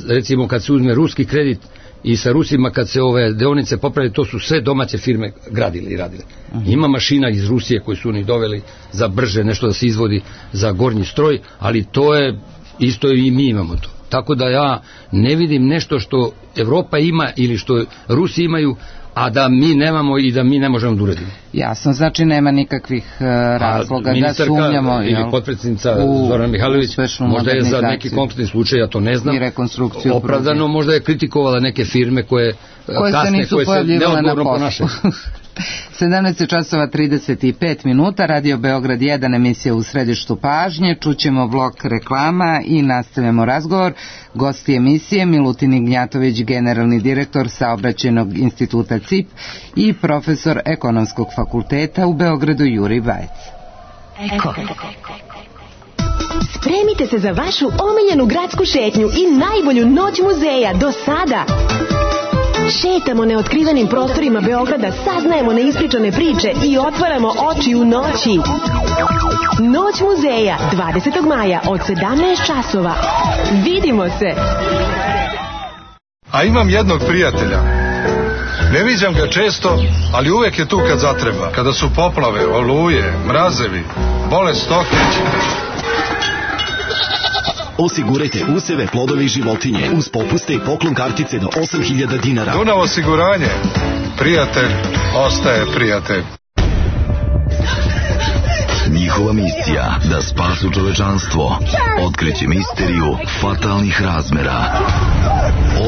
recimo kad se uzme ruski kredit i sa Rusima kad se ove deonice popravili, to su sve domaće firme gradile i radile. Ima mašina iz Rusije koji su oni doveli za brže nešto da se izvodi za gornji stroj, ali to je isto i mi imamo to. Tako da ja ne vidim nešto što Evropa ima ili što Rusi imaju, a da mi nemamo i da mi ne možemo da uradimo. Jasno, znači nema nikakvih uh, razloga da sumnjamo ili potpredsjednica Zorana Mihajlović možda je za neki konkretni slučaj, ja to ne znam, opravdano možda je kritikovala neke firme koje, koje kasne, se nisu koje pojavljivale na poslu. sedamnaest časova trideset pet minuta, Radio Beograd jedan, emisija U središtu pažnje. Čućemo blok reklama i nastavljamo razgovor. Gosti emisije Milutin Ignjatović, generalni direktor Saobraćajnog instituta C I P i profesor Ekonomskog fakulteta u Beogradu Jurij Bajec. Eko. Spremite se za vašu omiljenu gradsku šetnju i najbolju noć muzeja do sada. Šetamo neotkrivenim prostorima Beograda, saznajemo neispričane priče i otvaramo oči u noći. Noć muzeja, dvadesetog maja od sedamnaest časova. Vidimo se! A imam jednog prijatelja. Ne viđam ga često, ali uvek je tu kad zatreba. Kada su poplave, oluje, mrazevi, bolest stoke. Osigurajte useve, plodove i životinje uz popuste i poklon kartice do osam hiljada dinara. Dunav osiguranje. Prijatelj ostaje prijatelj. Njihova misija da spasu čovečanstvo otkreće misteriju fatalnih razmera.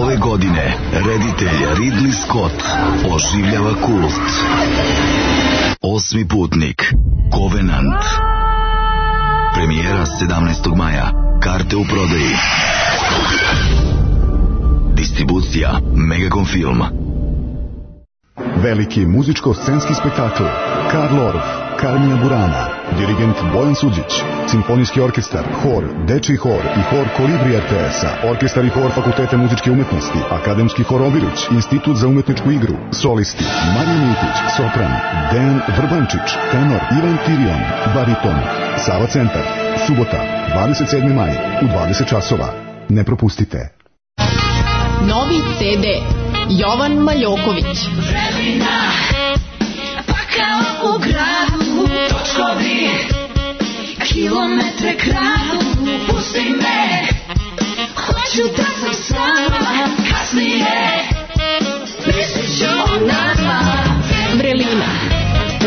Ove godine reditelj Ridley Scott oživljava kult. Osmi putnik, Covenant. Premijera sedamnaestog maja. Karte u prodaji. Distribucija Megacom Film. Veliki muzičko-scenski spektakl Karl Orff, Carmina Burana, dirigent Bojan Suđić, simfonijski orkestar, hor, dečiji hor i hor Kolibri R T S-a, orkestar i hor Fakulteta muzičke umetnosti, akademski hor Obilić, institut za umetničku igru, solisti Marija Mitić, sopran, Dejan Vrbančić, tenor Ivan Tirion, bariton, Sava centar, subota, dvadeset sedmi maj u dvadeset časova. Ne propustite. Novi C D Jovan Maljoković. Vremena, pa kao u gradu, točkovi, kilometre kradu, pusti me, hoću da sam sama, kasnije, mislit ću o nama. Vrelina,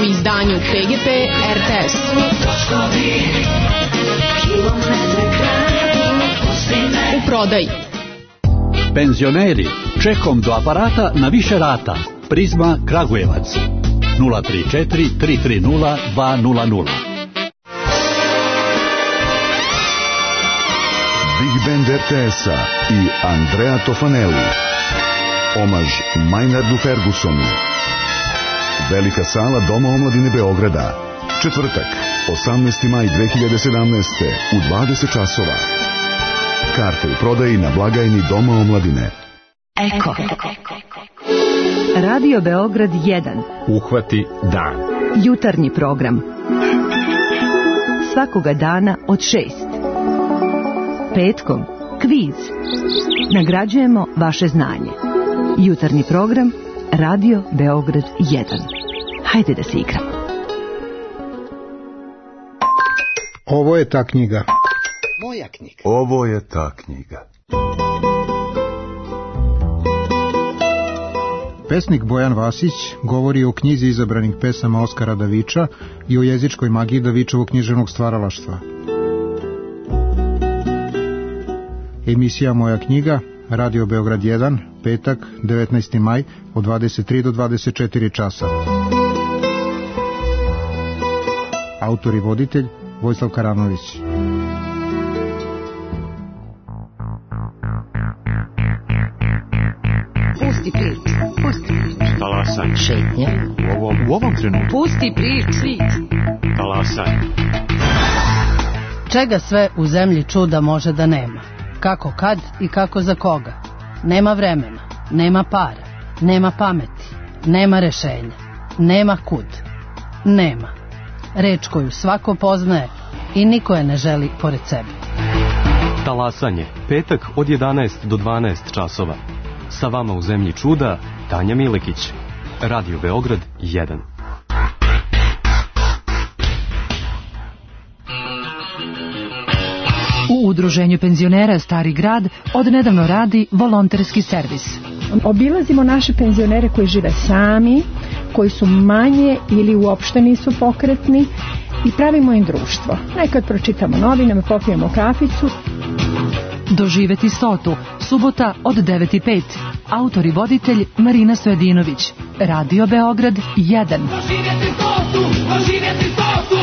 u izdanju P G P R T S. Točkovi, kilometre kradu, pusti me. U prodaji. Penzioneri, čekom do aparata na više rata. Prizma Kragujevac. nula tri četiri tri tri nula dva nula nula. Big Band R T S-a i Andrea Tofanelli. Omaž Maynardu Fergusonu. Velika sala Doma omladine Beograda. Četvrtak, osamnaesti maj dve hiljade sedamnaeste u dvadeset časova. Karte u prodaji na blagajni Doma omladine. Eko. Radio Beograd jedan. Uhvati dan. Jutarnji program. Svakoga dana od šest. Petkom kviz. Nagrađujemo vaše znanje. Jutarnji program Radio Beograd jedan. Hajde da se igramo. Ovo je ta knjiga. Moja knjiga. Ovo je ta knjiga. Pesnik Bojan Vasić govori o knjizi izabranih pesama Oskara Daviča i o jezičkoj magiji Davičevog književnog stvaralaštva. Emisija Moja knjiga, Radio Beograd jedan, petak, devetnaesti maj, od dvadeset tri do dvadeset četiri časa. Autor i voditelj Vojislav Karanović. Pusti priču, pusti priču. Stala sam Šetnja. U ovom, u ovom trenutku. Pusti priči. Talasaj. Čega sve u zemlji čuda može da nema? Kako kad i kako za koga? Nema vremena, nema para, nema pameti, nema rešenja, nema kud. Nema. Reč koju svako poznaje i niko je ne želi pored sebe. Talasanje, petak od jedanaest do dvanaest časova. Sa vama u zemlji čuda, Tanja Milekić. Radio Beograd jedan. U Udruženju penzionera Stari grad odnedavno radi volonterski servis. Obilazimo naše penzionere koji žive sami, koji su manje ili uopšte nisu pokretni i pravimo im društvo. Nekad pročitamo novine, popijemo kaficu. Doživeti stotu, subota od devet i pet. Autor i voditelj Marina Stojadinović. Radio Beograd jedan. Doživjeti stotu, doživjeti stotu.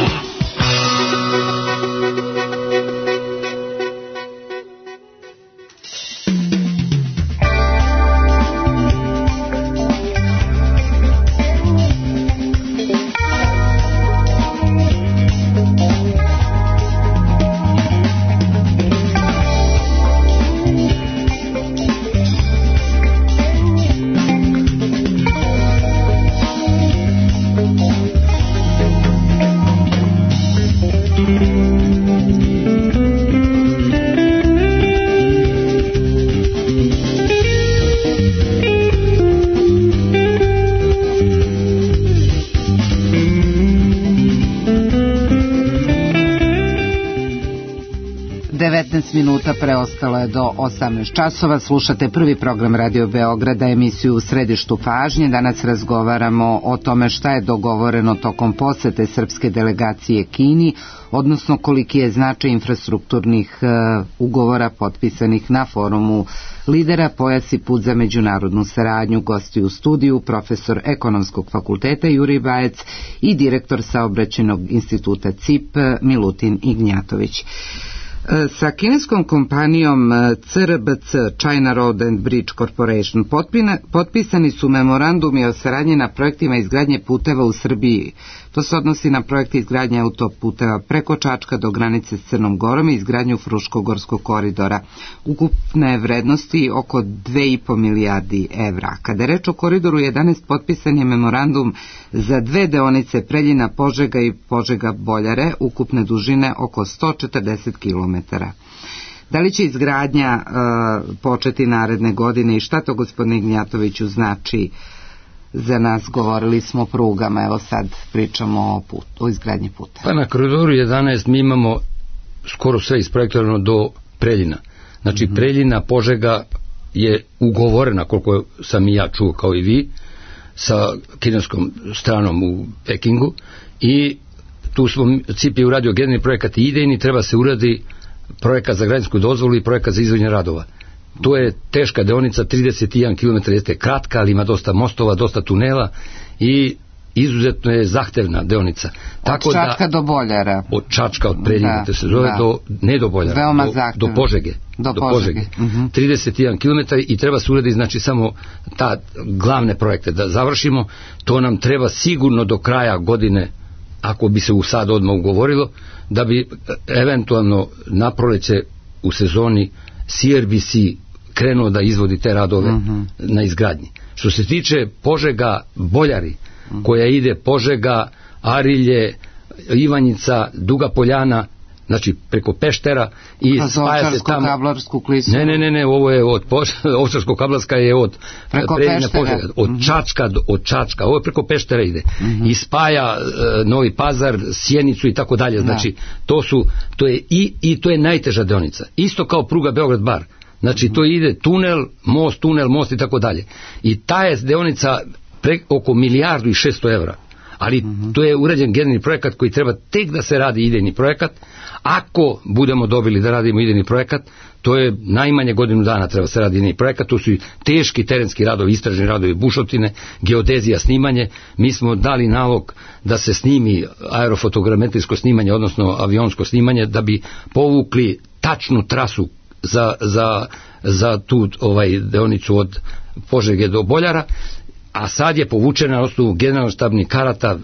devetnaest minuta preostalo je do osamnaest časova. Slušate prvi program Radio Beograda, emisiju U središtu pažnje. Danas razgovaramo o tome šta je dogovoreno tokom posete srpske delegacije Kini, odnosno koliki je značaj infrastrukturnih uh, ugovora potpisanih na forumu lidera Pojas i put za međunarodnu saradnju. Gosti u studiju profesor Ekonomskog fakulteta Jurij Bajec i direktor Saobraćajnog instituta C I P Milutin Ignjatović. Sa kineskom kompanijom C R B C, China Road and Bridge Corporation, potpisani su memorandumi o saradnji na projektima izgradnje puteva u Srbiji. To se odnosi na projekte izgradnje autoputeva preko Čačka do granice s Crnom Gorom i izgradnju Fruškogorskog koridora. Ukupne vrednosti oko dve i po milijardi evra. Kada je reč o koridoru jedanaest, potpisan je memorandum za dve deonice Preljina Požega i Požega Boljare, ukupne dužine oko sto četrdeset kilometara. Da li će izgradnja uh, početi naredne godine i šta to, gospodine Ignjatoviću, znači za nas? Govorili smo o prugama, evo sad pričamo o, put, o izgradnji puta. Pa na koridoru jedanaest mi imamo skoro sve isprojektovano do Preljina. Znači mm-hmm. Preljina Požega je ugovorena, koliko sam i ja čuo kao i vi, sa kineskom stranom u Pekingu, i tu smo C I P je uradio generalni projekat i idejni, treba se uradi projekat za građansku dozvolu i projekat za izvođenje radova. To je teška deonica, trideset jedan kilometara, jeste kratka, ali ima dosta mostova, dosta tunela i izuzetno je zahtevna deonica. Tako od Čačka da, do Boljara. Od Čačka, od Preljina, da, se zove, da. do, ne do Boljara, do, do Požege. Do, do Požege. Požege. Uh-huh. trideset jedan kilometar i treba se uraditi, znači, samo ta glavne projekte da završimo. To nam treba sigurno do kraja godine, ako bi se u sad odmah ugovorilo, da bi eventualno na proleće u sezoni C R B C krenuo da izvodi te radove uh-huh. na izgradnji. Što se tiče Požega Boljari, uh-huh. koja ide Požega, Arilje, Ivanjica, Duga Poljana, znači preko Peštera i spaja se tamo. Kablarsku klisuru. Ne, ne, ne, ne, ovo je od Ovčarsko-Kablarska je od preko Preljina Peštera. Požega, od uh-huh. Čačka do, od Čačka, ovo je preko Peštera ide. Uh-huh. I spaja uh, Novi Pazar, Sjenicu i tako dalje. Znači, to su, to je i, i to je najteža deonica. Isto kao pruga Beograd-Bar. Znači, to ide tunel, most, tunel, most i tako dalje. I ta je deonica pre, oko milijardu i šesto evra. Ali uh-huh. to je urađen generalni projekat koji treba tek da se radi idejni projekat. Ako budemo dobili da radimo idejni projekat, to je najmanje godinu dana treba se radi idejni projekat. To su i teški terenski radovi, istražni radovi, bušotine, geodezija, snimanje. Mi smo dali nalog da se snimi aerofotogrametrijsko snimanje, odnosno avionsko snimanje, da bi povukli tačnu trasu za, za, za tu ovaj deonicu od Požege do Boljara. a sad je povučena na osnovu generalštabnih karata,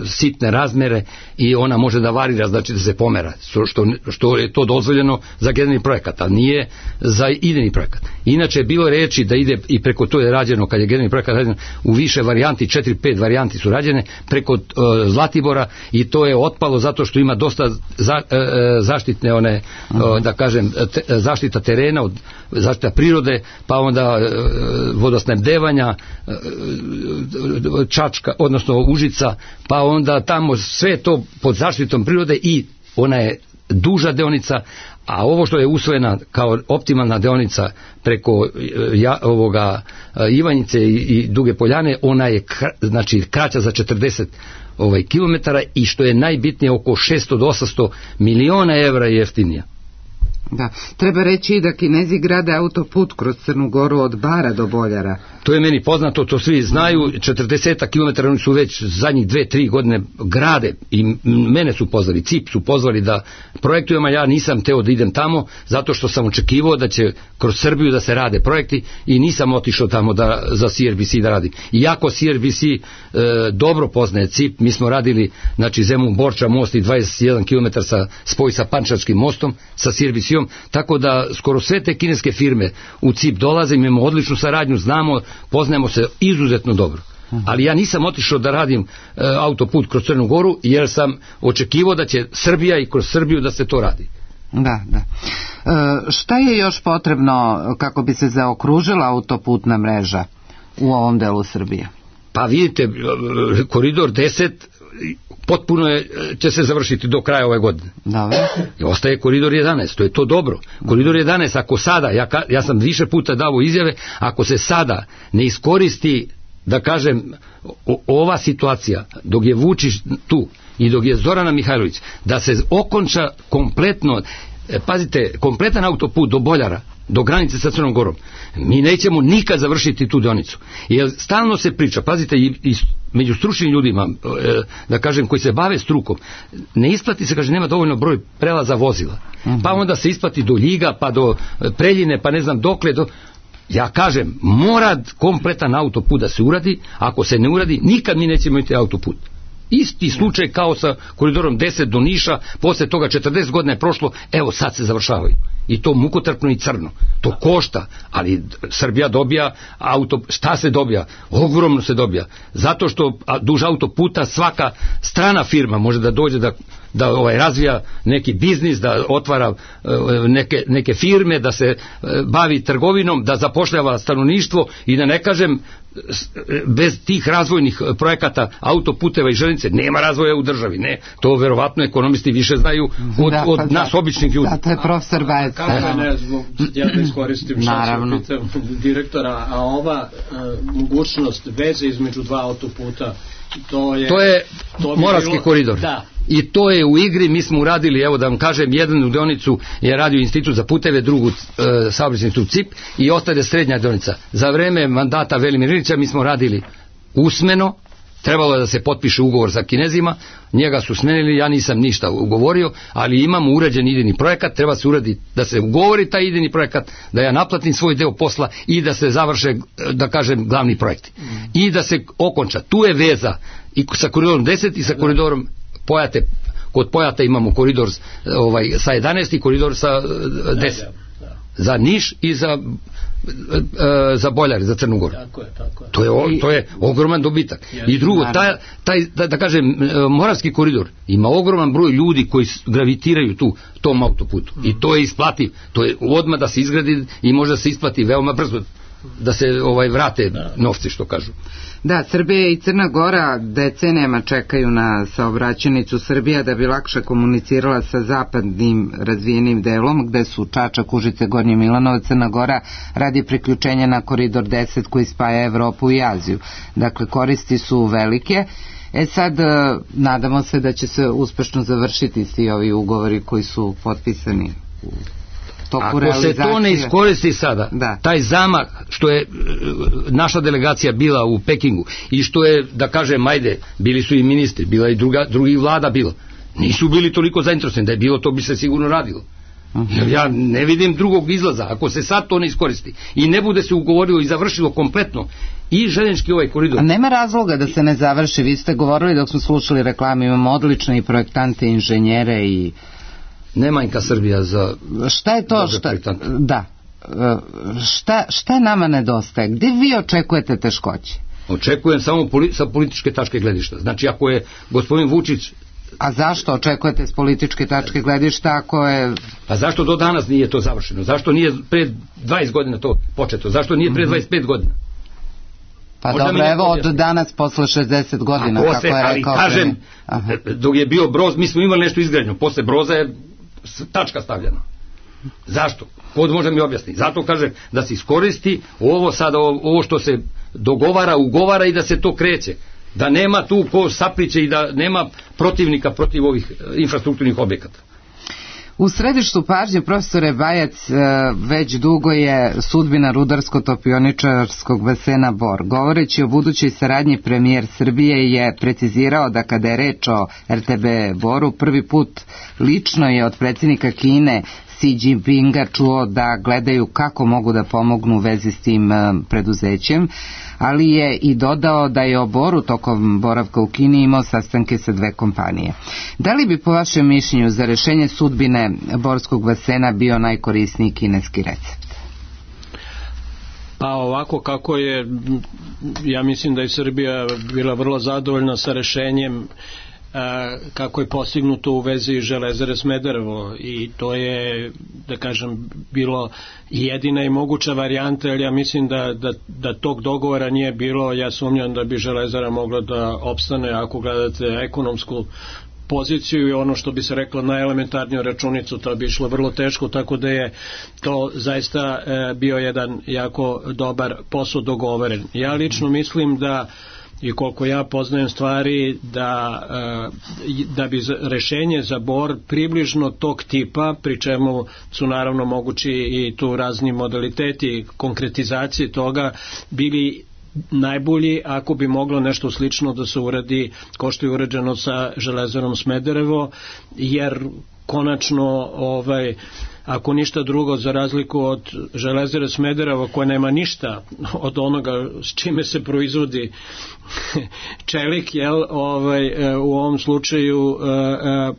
sitne razmere i ona može da varira, znači da se pomera, što, što je to dozvoljeno za generalni projekat, a nije za idejni projekat. Inače je bilo reči da ide i preko to je rađeno, kad je generalni projekat rađen u više varijanti, četiri pet varijanti su rađene preko uh, Zlatibora i to je otpalo zato što ima dosta za, uh, zaštitne one, uh, da kažem, te, zaštita terena, od zaštita prirode, pa onda uh, vodosnabdevanja, uh, Čačka, odnosno Užica, pa onda tamo sve to pod zaštitom prirode i ona je duža deonica, a ovo što je usvojena kao optimalna deonica preko ja, ovoga Ivanjice i, i Duge Poljane, ona je kra, znači kraća za četrdeset ovaj, kilometara i što je najbitnije oko šesto do osamsto miliona evra jeftinija. Da, treba reći da Kinezi grade autoput kroz Crnu Goru od Bara do Boljara. To je meni poznato, to svi znaju, četrdeset kilometara oni su već zadnjih dve, tri godine grade i mene su pozvali, C I P su pozvali da projektujemo, ja nisam teo da idem tamo, zato što sam očekivao da će kroz Srbiju da se rade projekti i nisam otišao tamo da, za C R B C da radim. Iako C R B C e, dobro poznaje C I P, mi smo radili, znači Zemun Borča most i dvadeset jedan kilometara sa spoj sa Pančačkim mostom, sa C R B C-om, tako da skoro sve te kineske firme u C I P dolaze, imamo odličnu saradnju, znamo, poznajemo se izuzetno dobro. Ali ja nisam otišao da radim e, autoput kroz Crnu Goru, jer sam očekivao da će Srbija i kroz Srbiju da se to radi. Da, da. E, šta je još potrebno kako bi se zaokružila autoputna mreža u ovom delu Srbije? Pa vidite, koridor deset potpuno je, će se završiti do kraja ove godine. Dobro. I ostaje koridor jedanaest, to je to dobro. Koridor jedanaest, ako sada, ja, ja sam više puta dao izjave, ako se sada ne iskoristi, da kažem, o, ova situacija, dok je Vučić tu i dok je Zorana Mihajlović, da se okonča kompletno, pazite, kompletan autoput do Boljara, do granice sa Crnom Gorom, mi nećemo nikad završiti tu deonicu. Jer stalno se priča, pazite, i, i među stručnim ljudima, e, da kažem, koji se bave strukom, ne isplati se, kaže, nema dovoljno broj prelaza vozila. Mm-hmm. Pa onda se isplati do Ljiga, pa do Preljine, pa ne znam dokle, do... Ja kažem, mora kompletan autoput da se uradi, ako se ne uradi, nikad mi nećemo imati autoput. Isti slučaj kao sa koridorom deset do Niša, posle toga četrdeset godina je prošlo, evo sad se završavaju. I to mukotrpno i crno. To košta, ali Srbija dobija auto, šta se dobija? Ogromno se dobija. Zato što duž autoputa svaka strana firma može da dođe da, da ovaj, razvija neki biznis, da otvara neke, neke firme, da se bavi trgovinom, da zapošljava stanovništvo i da ne kažem, bez tih razvojnih projekata autoputeva i železnice nema razvoja u državi. Ne, to verovatno ekonomisti više znaju od, da, od nas da, običnih ljudi. Da, to je profesor Bajec. Kako ne, zbog, ja da iskoristim što se pitam direktora, a ova uh, mogućnost veze između dva autoputa, to je... To je to Moravski bilo, koridor. Da. I to je u igri, mi smo uradili, evo da vam kažem, jednu deonicu je radio Institut za puteve, drugu e, saobraćajni institut C I P i ostaje srednja deonica. Za vreme mandata Velimira Ilića mi smo radili usmeno, trebalo je da se potpiše ugovor sa Kinezima, njega su smenili, ja nisam ništa ugovorio, ali imamo urađen idejni projekat, treba se uraditi da se ugovori taj idejni projekat, da ja naplatim svoj deo posla i da se završe, da kažem, glavni projekti. Mm. I da se okonča. Tu je veza i sa koridorom deset i sa koridorom Pojate, kod Pojata imamo koridor ovaj, sa jedanaest i koridor sa deset. Za Niš i za za Boljar, za Crnu Goru. Tako je, tako je. To je, to je ogroman dobitak. I drugo, taj, taj, da, da kažem, Moravski koridor ima ogroman broj ljudi koji gravitiraju tu, tom autoputu. I to je isplativ. To je odmah da se izgradi i može se isplati veoma brzo da se ovaj vrate novci, što kažu. Da, Srbija i Crna Gora decenijama čekaju na saobraćajnicu Srbija da bi lakše komunicirala sa zapadnim razvijenim delom, gde su Čačak, Užice, Gornji Milanovac, Crna Gora radi priključenja na koridor deset koji spaja Evropu i Aziju. Dakle, koristi su velike. E sad, nadamo se da će se uspešno završiti svi ovi ugovori koji su potpisani u Ako se to ne iskoristi sada, da. Taj zamah što je naša delegacija bila u Pekingu i što je, da kažem, ajde, bili su i ministri, bila i druga, drugi vlada bilo, nisu bili toliko zainteresovani, da je bilo, to bi se sigurno radilo. Jer ja ne vidim drugog izlaza. Ako se sad to ne iskoristi i ne bude se ugovorilo i završilo kompletno i željeznički ovaj koridor. A nema razloga da se ne završi. Vi ste govorili dok smo slušali reklame, imamo odlične i projektante, inženjere i... Nemanjka Srbija za... Šta je to? Šta... Da. Šta, šta nama nedostaje? Gde vi očekujete teškoće? Očekujem samo poli, sa političke tačke gledišta. Znači ako je gospodin Vučić... A zašto očekujete s političke tačke gledišta ako je... A zašto do danas nije to završeno? Zašto nije pre dvadeset godina to početo? Zašto nije pre dvadeset pet godina? Pa možda dobro, evo od danas posle šezdeset godina, posle, kako je ali rekao. Kažem, dok je bio Broz, mi smo imali nešto izgradnjo. Posle Broza je tačka stavljena. Zašto? Kod može mi objasniti. Zato kažem da se iskoristi ovo sada, ovo što se dogovara, ugovara i da se to kreće. Da nema tu ko sapliće i da nema protivnika protiv ovih infrastrukturnih objekata. U središtu pažnje, profesore Bajac, već dugo je sudbina rudarsko-topioničarskog basena Bor. Govoreći o budućoj saradnji, premijer Srbije je precizirao da kada je reč o er te be Boru, prvi put lično je od predsjednika Kine Xi Jinpinga čuo da gledaju kako mogu da pomognu u vezi s tim preduzećem, ali je i dodao da je o Boru tokom boravka u Kini imao sastanke sa dve kompanije. Da li bi po vašem mišljenju za rešenje sudbine Borskog basena bio najkorisniji kineski recept? Pa ovako kako je, ja mislim da je Srbija bila vrlo zadovoljna sa rešenjem kako je postignuto u vezi Železare Smederevo i to je, da kažem, bilo jedina i moguća varijanta, jer ja mislim da, da, da tog dogovora nije bilo. Ja sumnjam da bi Železara mogla da opstane ako gledate ekonomsku poziciju i ono što bi se reklo na elementarniju računicu, to bi išlo vrlo teško, tako da je to zaista e, bio jedan jako dobar posao dogovoren. Ja lično mislim da i koliko ja poznajem stvari da, da bi rešenje za Bor približno tog tipa, pri čemu su naravno mogući i tu razni modaliteti konkretizacije toga, bili najbolji ako bi moglo nešto slično da se uradi kao što je urađeno sa Železarom Smederevo, jer konačno ovaj ako ništa drugo, za razliku od Železare Smederevo koja nema ništa od onoga s čime se proizvodi čelik, jel, ovaj, u ovom slučaju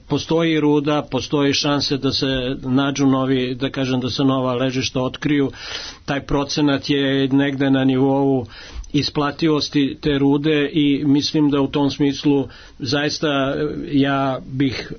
postoji ruda, postoji šanse da se nađu novi, da kažem da se nova ležišta otkriju. Taj procenat je negde na nivou isplativosti te rude i mislim da u tom smislu zaista ja bih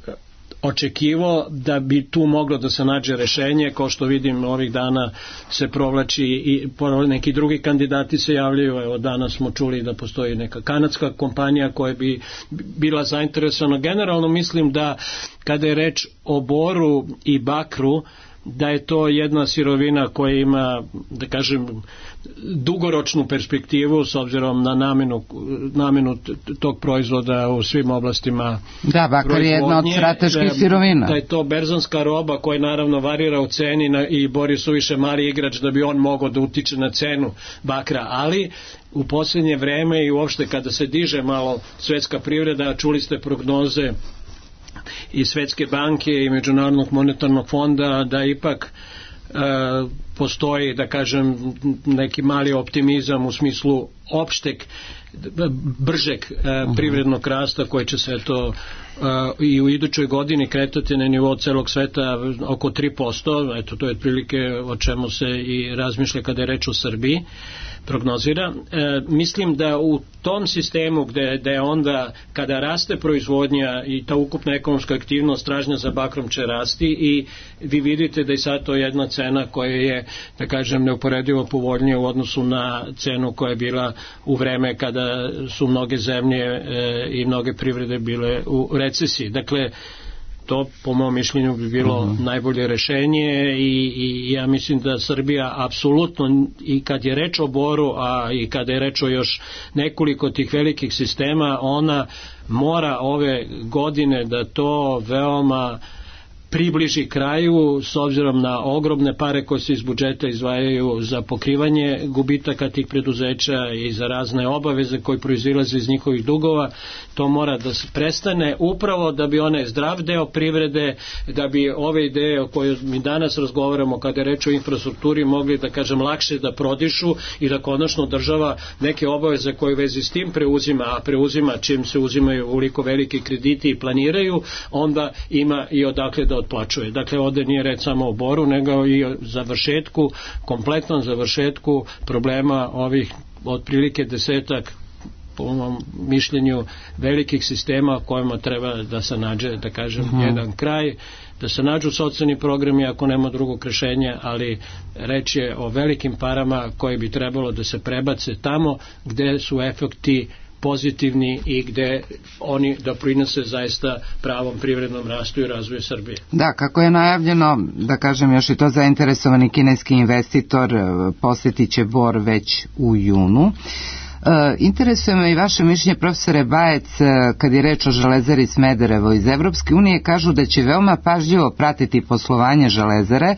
očekivao da bi tu moglo da se nađe rešenje, kao što vidim ovih dana se provlači i neki drugi kandidati se javljaju. Evo danas smo čuli da postoji neka kanadska kompanija koja bi bila zainteresovana. Generalno mislim da kada je reč o boru i bakru, da je to jedna sirovina koja ima, da kažem, dugoročnu perspektivu s obzirom na namenu, namenu tog proizvoda u svim oblastima. Da, bakar je jedna od strateških sirovina. Da je to berzanska roba koja naravno varira u ceni na, i Bor suviše mali igrač da bi on mogao da utiče na cenu bakra, ali u posljednje vreme i uopšte kada se diže malo svetska privreda, čuli ste prognoze i Svetske banke i Međunarodnog monetarnog fonda da ipak e, postoji, da kažem, neki mali optimizam u smislu opšteg bržeg e, privrednog rasta koji će se to e, i u idućoj godini kretati na nivou celog sveta oko tri posto. Eto, to je otprilike o čemu se i razmišlja kada je reč o Srbiji, prognozira. E, mislim da u tom sistemu gde, gde onda kada raste proizvodnja i ta ukupna ekonomska aktivnost, tražnja za bakrom će rasti i vi vidite da je sad to jedna cena koja je, da kažem, neuporedivo povoljnija u odnosu na cenu koja je bila u vreme kada su mnoge zemlje e, i mnoge privrede bile u recesiji. Dakle, to po mom mišljenju bi bilo uh-huh. najbolje rešenje i, i ja mislim da Srbija apsolutno, i kad je reč o Boru, a i kada je reč o još nekoliko tih velikih sistema, ona mora ove godine da to veoma približi kraju s obzirom na ogromne pare koje se iz budžeta izdvajaju za pokrivanje gubitaka tih preduzeća i za razne obaveze koje proizilaze iz njihovih dugova. To mora da se prestane upravo da bi onaj zdrav deo privrede, da bi ove ideje o kojoj mi danas razgovaramo kada je reč o infrastrukturi mogli da kažem lakše da prodišu i da konačno država neke obaveze koje u vezi s tim preuzima, a preuzima čim se uzimaju uliko veliki krediti i planiraju, onda ima i odakle da otplaćuje. Dakle, ovde nije reč samo o Boru, nego i o završetku, kompletnom završetku problema ovih otprilike desetak, po mom mišljenju, velikih sistema kojima treba da se nađe, da kažem, uh-huh. jedan kraj, da se nađu socijalni programi ako nema drugog rešenja, ali reč je o velikim parama koje bi trebalo da se prebace tamo gde su efekti pozitivni i gde oni doprinose zaista pravom privrednom rastu i razvoju Srbije. Da, kako je najavljeno, da kažem još i to, zainteresovani kineski investitor posjetit će Bor već u junu. E, interesuje me i vaše mišljenje, profesore Bajec, kad je reč o Železari Smederevo. Iz Evropske unije kažu da će veoma pažljivo pratiti poslovanje Železare.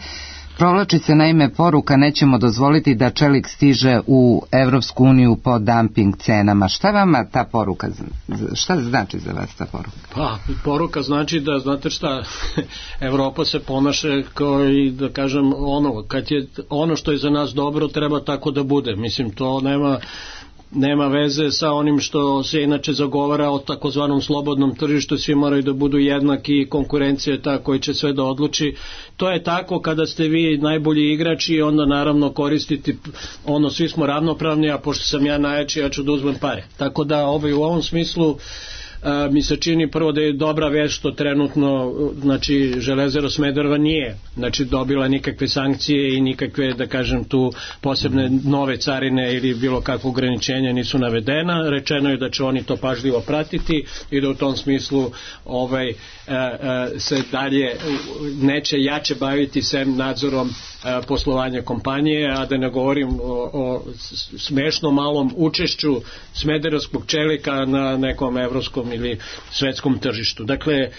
Provlači se naime poruka: nećemo dozvoliti da čelik stiže u Evropsku uniju po dumping cenama. Šta vama ta poruka, šta znači za vas ta poruka? Pa, poruka znači da, znate šta, Evropa se ponaša kao i da kažem ono, kad je ono što je za nas dobro treba tako da bude. Mislim, to nema nema veze sa onim što se inače zagovara o takozvanom slobodnom tržištu, svi moraju da budu jednaki i konkurencija je ta koja će sve da odluči. To je tako kada ste vi najbolji igrači i onda naravno koristiti ono, svi smo ravnopravni, a pošto sam ja najjači, ja ću da uzmem pare. Tako da ovaj, u ovom smislu a, mi se čini prvo da je dobra vest što trenutno, znači, Železara Smedereva nije, znači, dobila nikakve sankcije i nikakve, da kažem, tu posebne nove carine ili bilo kakvo ograničenja nisu navedena. Rečeno je da će oni to pažljivo pratiti i da u tom smislu ovaj, a, a, se dalje neće jače baviti sem nadzorom a, poslovanja kompanije, a da ne govorim o, o smešno malom učešću smederevskog čelika na nekom evropskom ili svetskom tržištu. Dakle, e,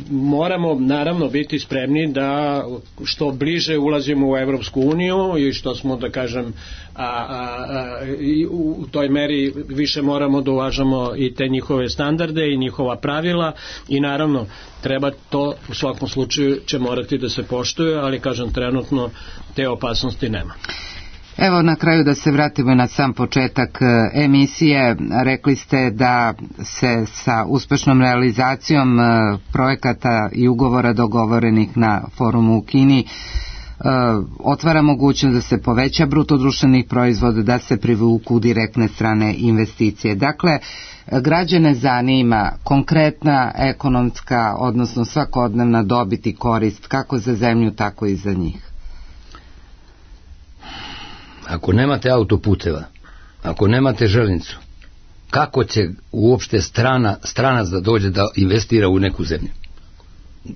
moramo naravno biti spremni da što bliže ulazimo u Evropsku uniju i što smo, da kažem, a, a, a, i u toj meri više moramo da uvažamo i te njihove standarde i njihova pravila i naravno treba to u svakom slučaju će morati da se poštuje, ali kažem trenutno te opasnosti nema. Evo na kraju da se vratimo na sam početak emisije. Rekli ste da se sa uspešnom realizacijom projekata i ugovora dogovorenih na forumu u Kini otvara mogućnost da se poveća bruto društvenih proizvoda, da se privuku direktne strane investicije. Dakle, građane zanima konkretna ekonomska, odnosno svakodnevna dobit i korist kako za zemlju, tako i za njih. Ako nemate autoputeva, ako nemate železnicu, kako će uopšte strana, stranac da dođe da investira u neku zemlju?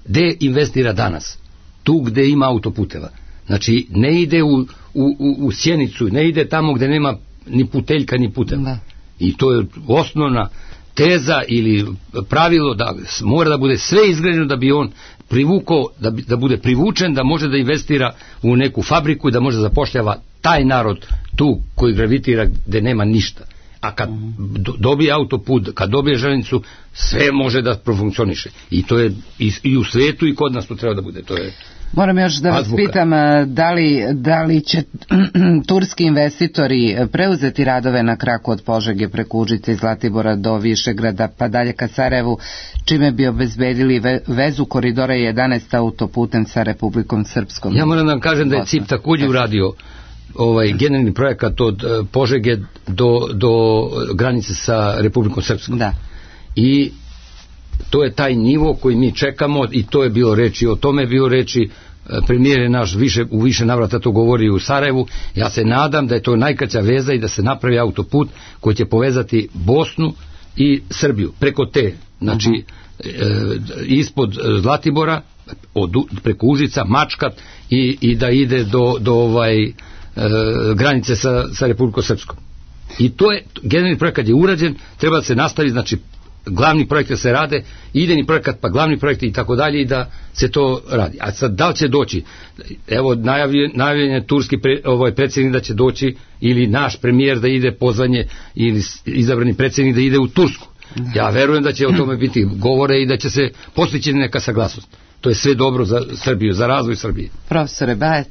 Gde investira danas? Tu gde ima autoputeva. Znači, ne ide u, u, u, u Sjenicu, ne ide tamo gde nema ni puteljka ni puteva. Da. I to je osnovna teza ili pravilo da mora da bude sve izgrađeno da bi on privukao, da, bi, da bude privučen, da može da investira u neku fabriku i da može da zapošljava taj narod tu koji gravitira gde nema ništa. A kad do, dobije autoput, kad dobije železnicu, sve može da profunkcioniše. I to je i, i u svetu i kod nas to treba da bude. To je Moram još da vas azbuka. pitam da li, da li će turski investitori preuzeti radove na kraku od Požege preko Užice i Zlatibora do Višegrada pa dalje ka Sarajevu, čime bi obezbedili vezu koridora jedanaest autoputem sa Republikom Srpskom. Ja moram da vam kažem da je C I P također uradio ovaj generalni projekat od Požege do, do granice sa Republikom Srpskom. Da. I to je taj nivo koji mi čekamo i to je bilo reči, o tome je bilo reči, premijer je naš više, u više navrata to govori u Sarajevu. Ja se nadam da je to najkraća veza i da se napravi autoput koji će povezati Bosnu i Srbiju preko te, znači uh-huh. e, ispod Zlatibora od, preko Užica, Mačkat i, i da ide do, do ovaj e, granice sa, sa Republikom Srpskom. I to je, generalni projekat je urađen, treba da se nastavi, znači glavni projekte se rade, idejni projekat pa glavni projekt i tako dalje i da se to radi. A sad da li će doći, evo najavljen, najavljen je turski pre, ovaj predsjednik da će doći ili naš premijer da ide pozvanje ili izabrani predsjednik da ide u Tursku. Ja verujem da će o tome biti govore i da će se postići neka saglasnost. To je sve dobro za Srbiju, za razvoj Srbije. Profesore Bajec,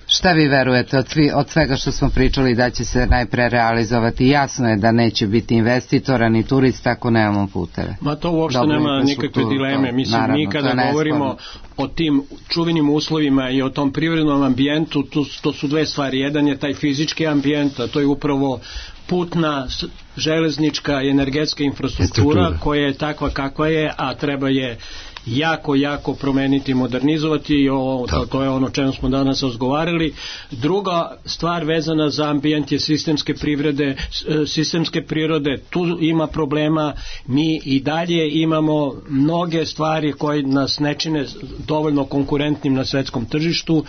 šta vi verujete od, svi, od svega što smo pričali da će se najpre realizovati? Jasno je da neće biti investitora ni turista ako nemamo puteve. Ma to uopšte Dobro, nema nikakve dileme. Mislim, naravno, mi kada govorimo o tim čuvenim uslovima i o tom privrednom ambijentu, to, to su dve stvari. Jedan je taj fizički ambijent, a to je upravo putna, železnička i energetska infrastruktura koja je takva kakva je, a treba je jako, jako promeniti, modernizovati i o, to, to je ono čemu smo danas razgovarali. Druga stvar vezana za ambijent je sistemske privrede, sistemske prirode, tu ima problema, mi i dalje imamo mnoge stvari koje nas ne čine dovoljno konkurentnim na svetskom tržištu.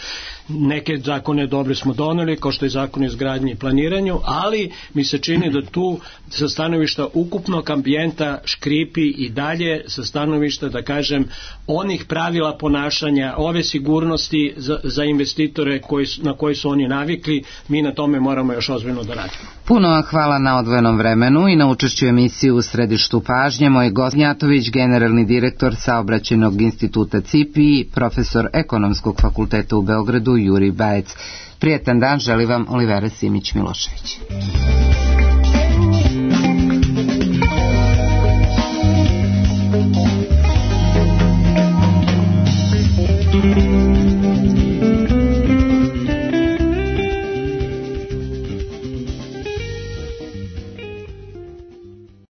Neke zakone dobre smo doneli, kao što je zakon o izgradnji i planiranju, ali mi se čini da tu sa stanovišta ukupnog ambijenta škripi i dalje sa stanovišta, da kažem, onih pravila ponašanja, ove sigurnosti za, za investitore koji, na koji su oni navikli, mi na tome moramo još ozbiljno da radimo. Puno vam hvala na odvojenom vremenu i na učešću emisiju U središtu pažnje. Moj gost Gnjatović, generalni direktor Saobraćajnog instituta C I P I, profesor Ekonomskog fakulteta u Beogradu Jurij Bajec. Prijetan dan želi vam Olivera Simić Milošević.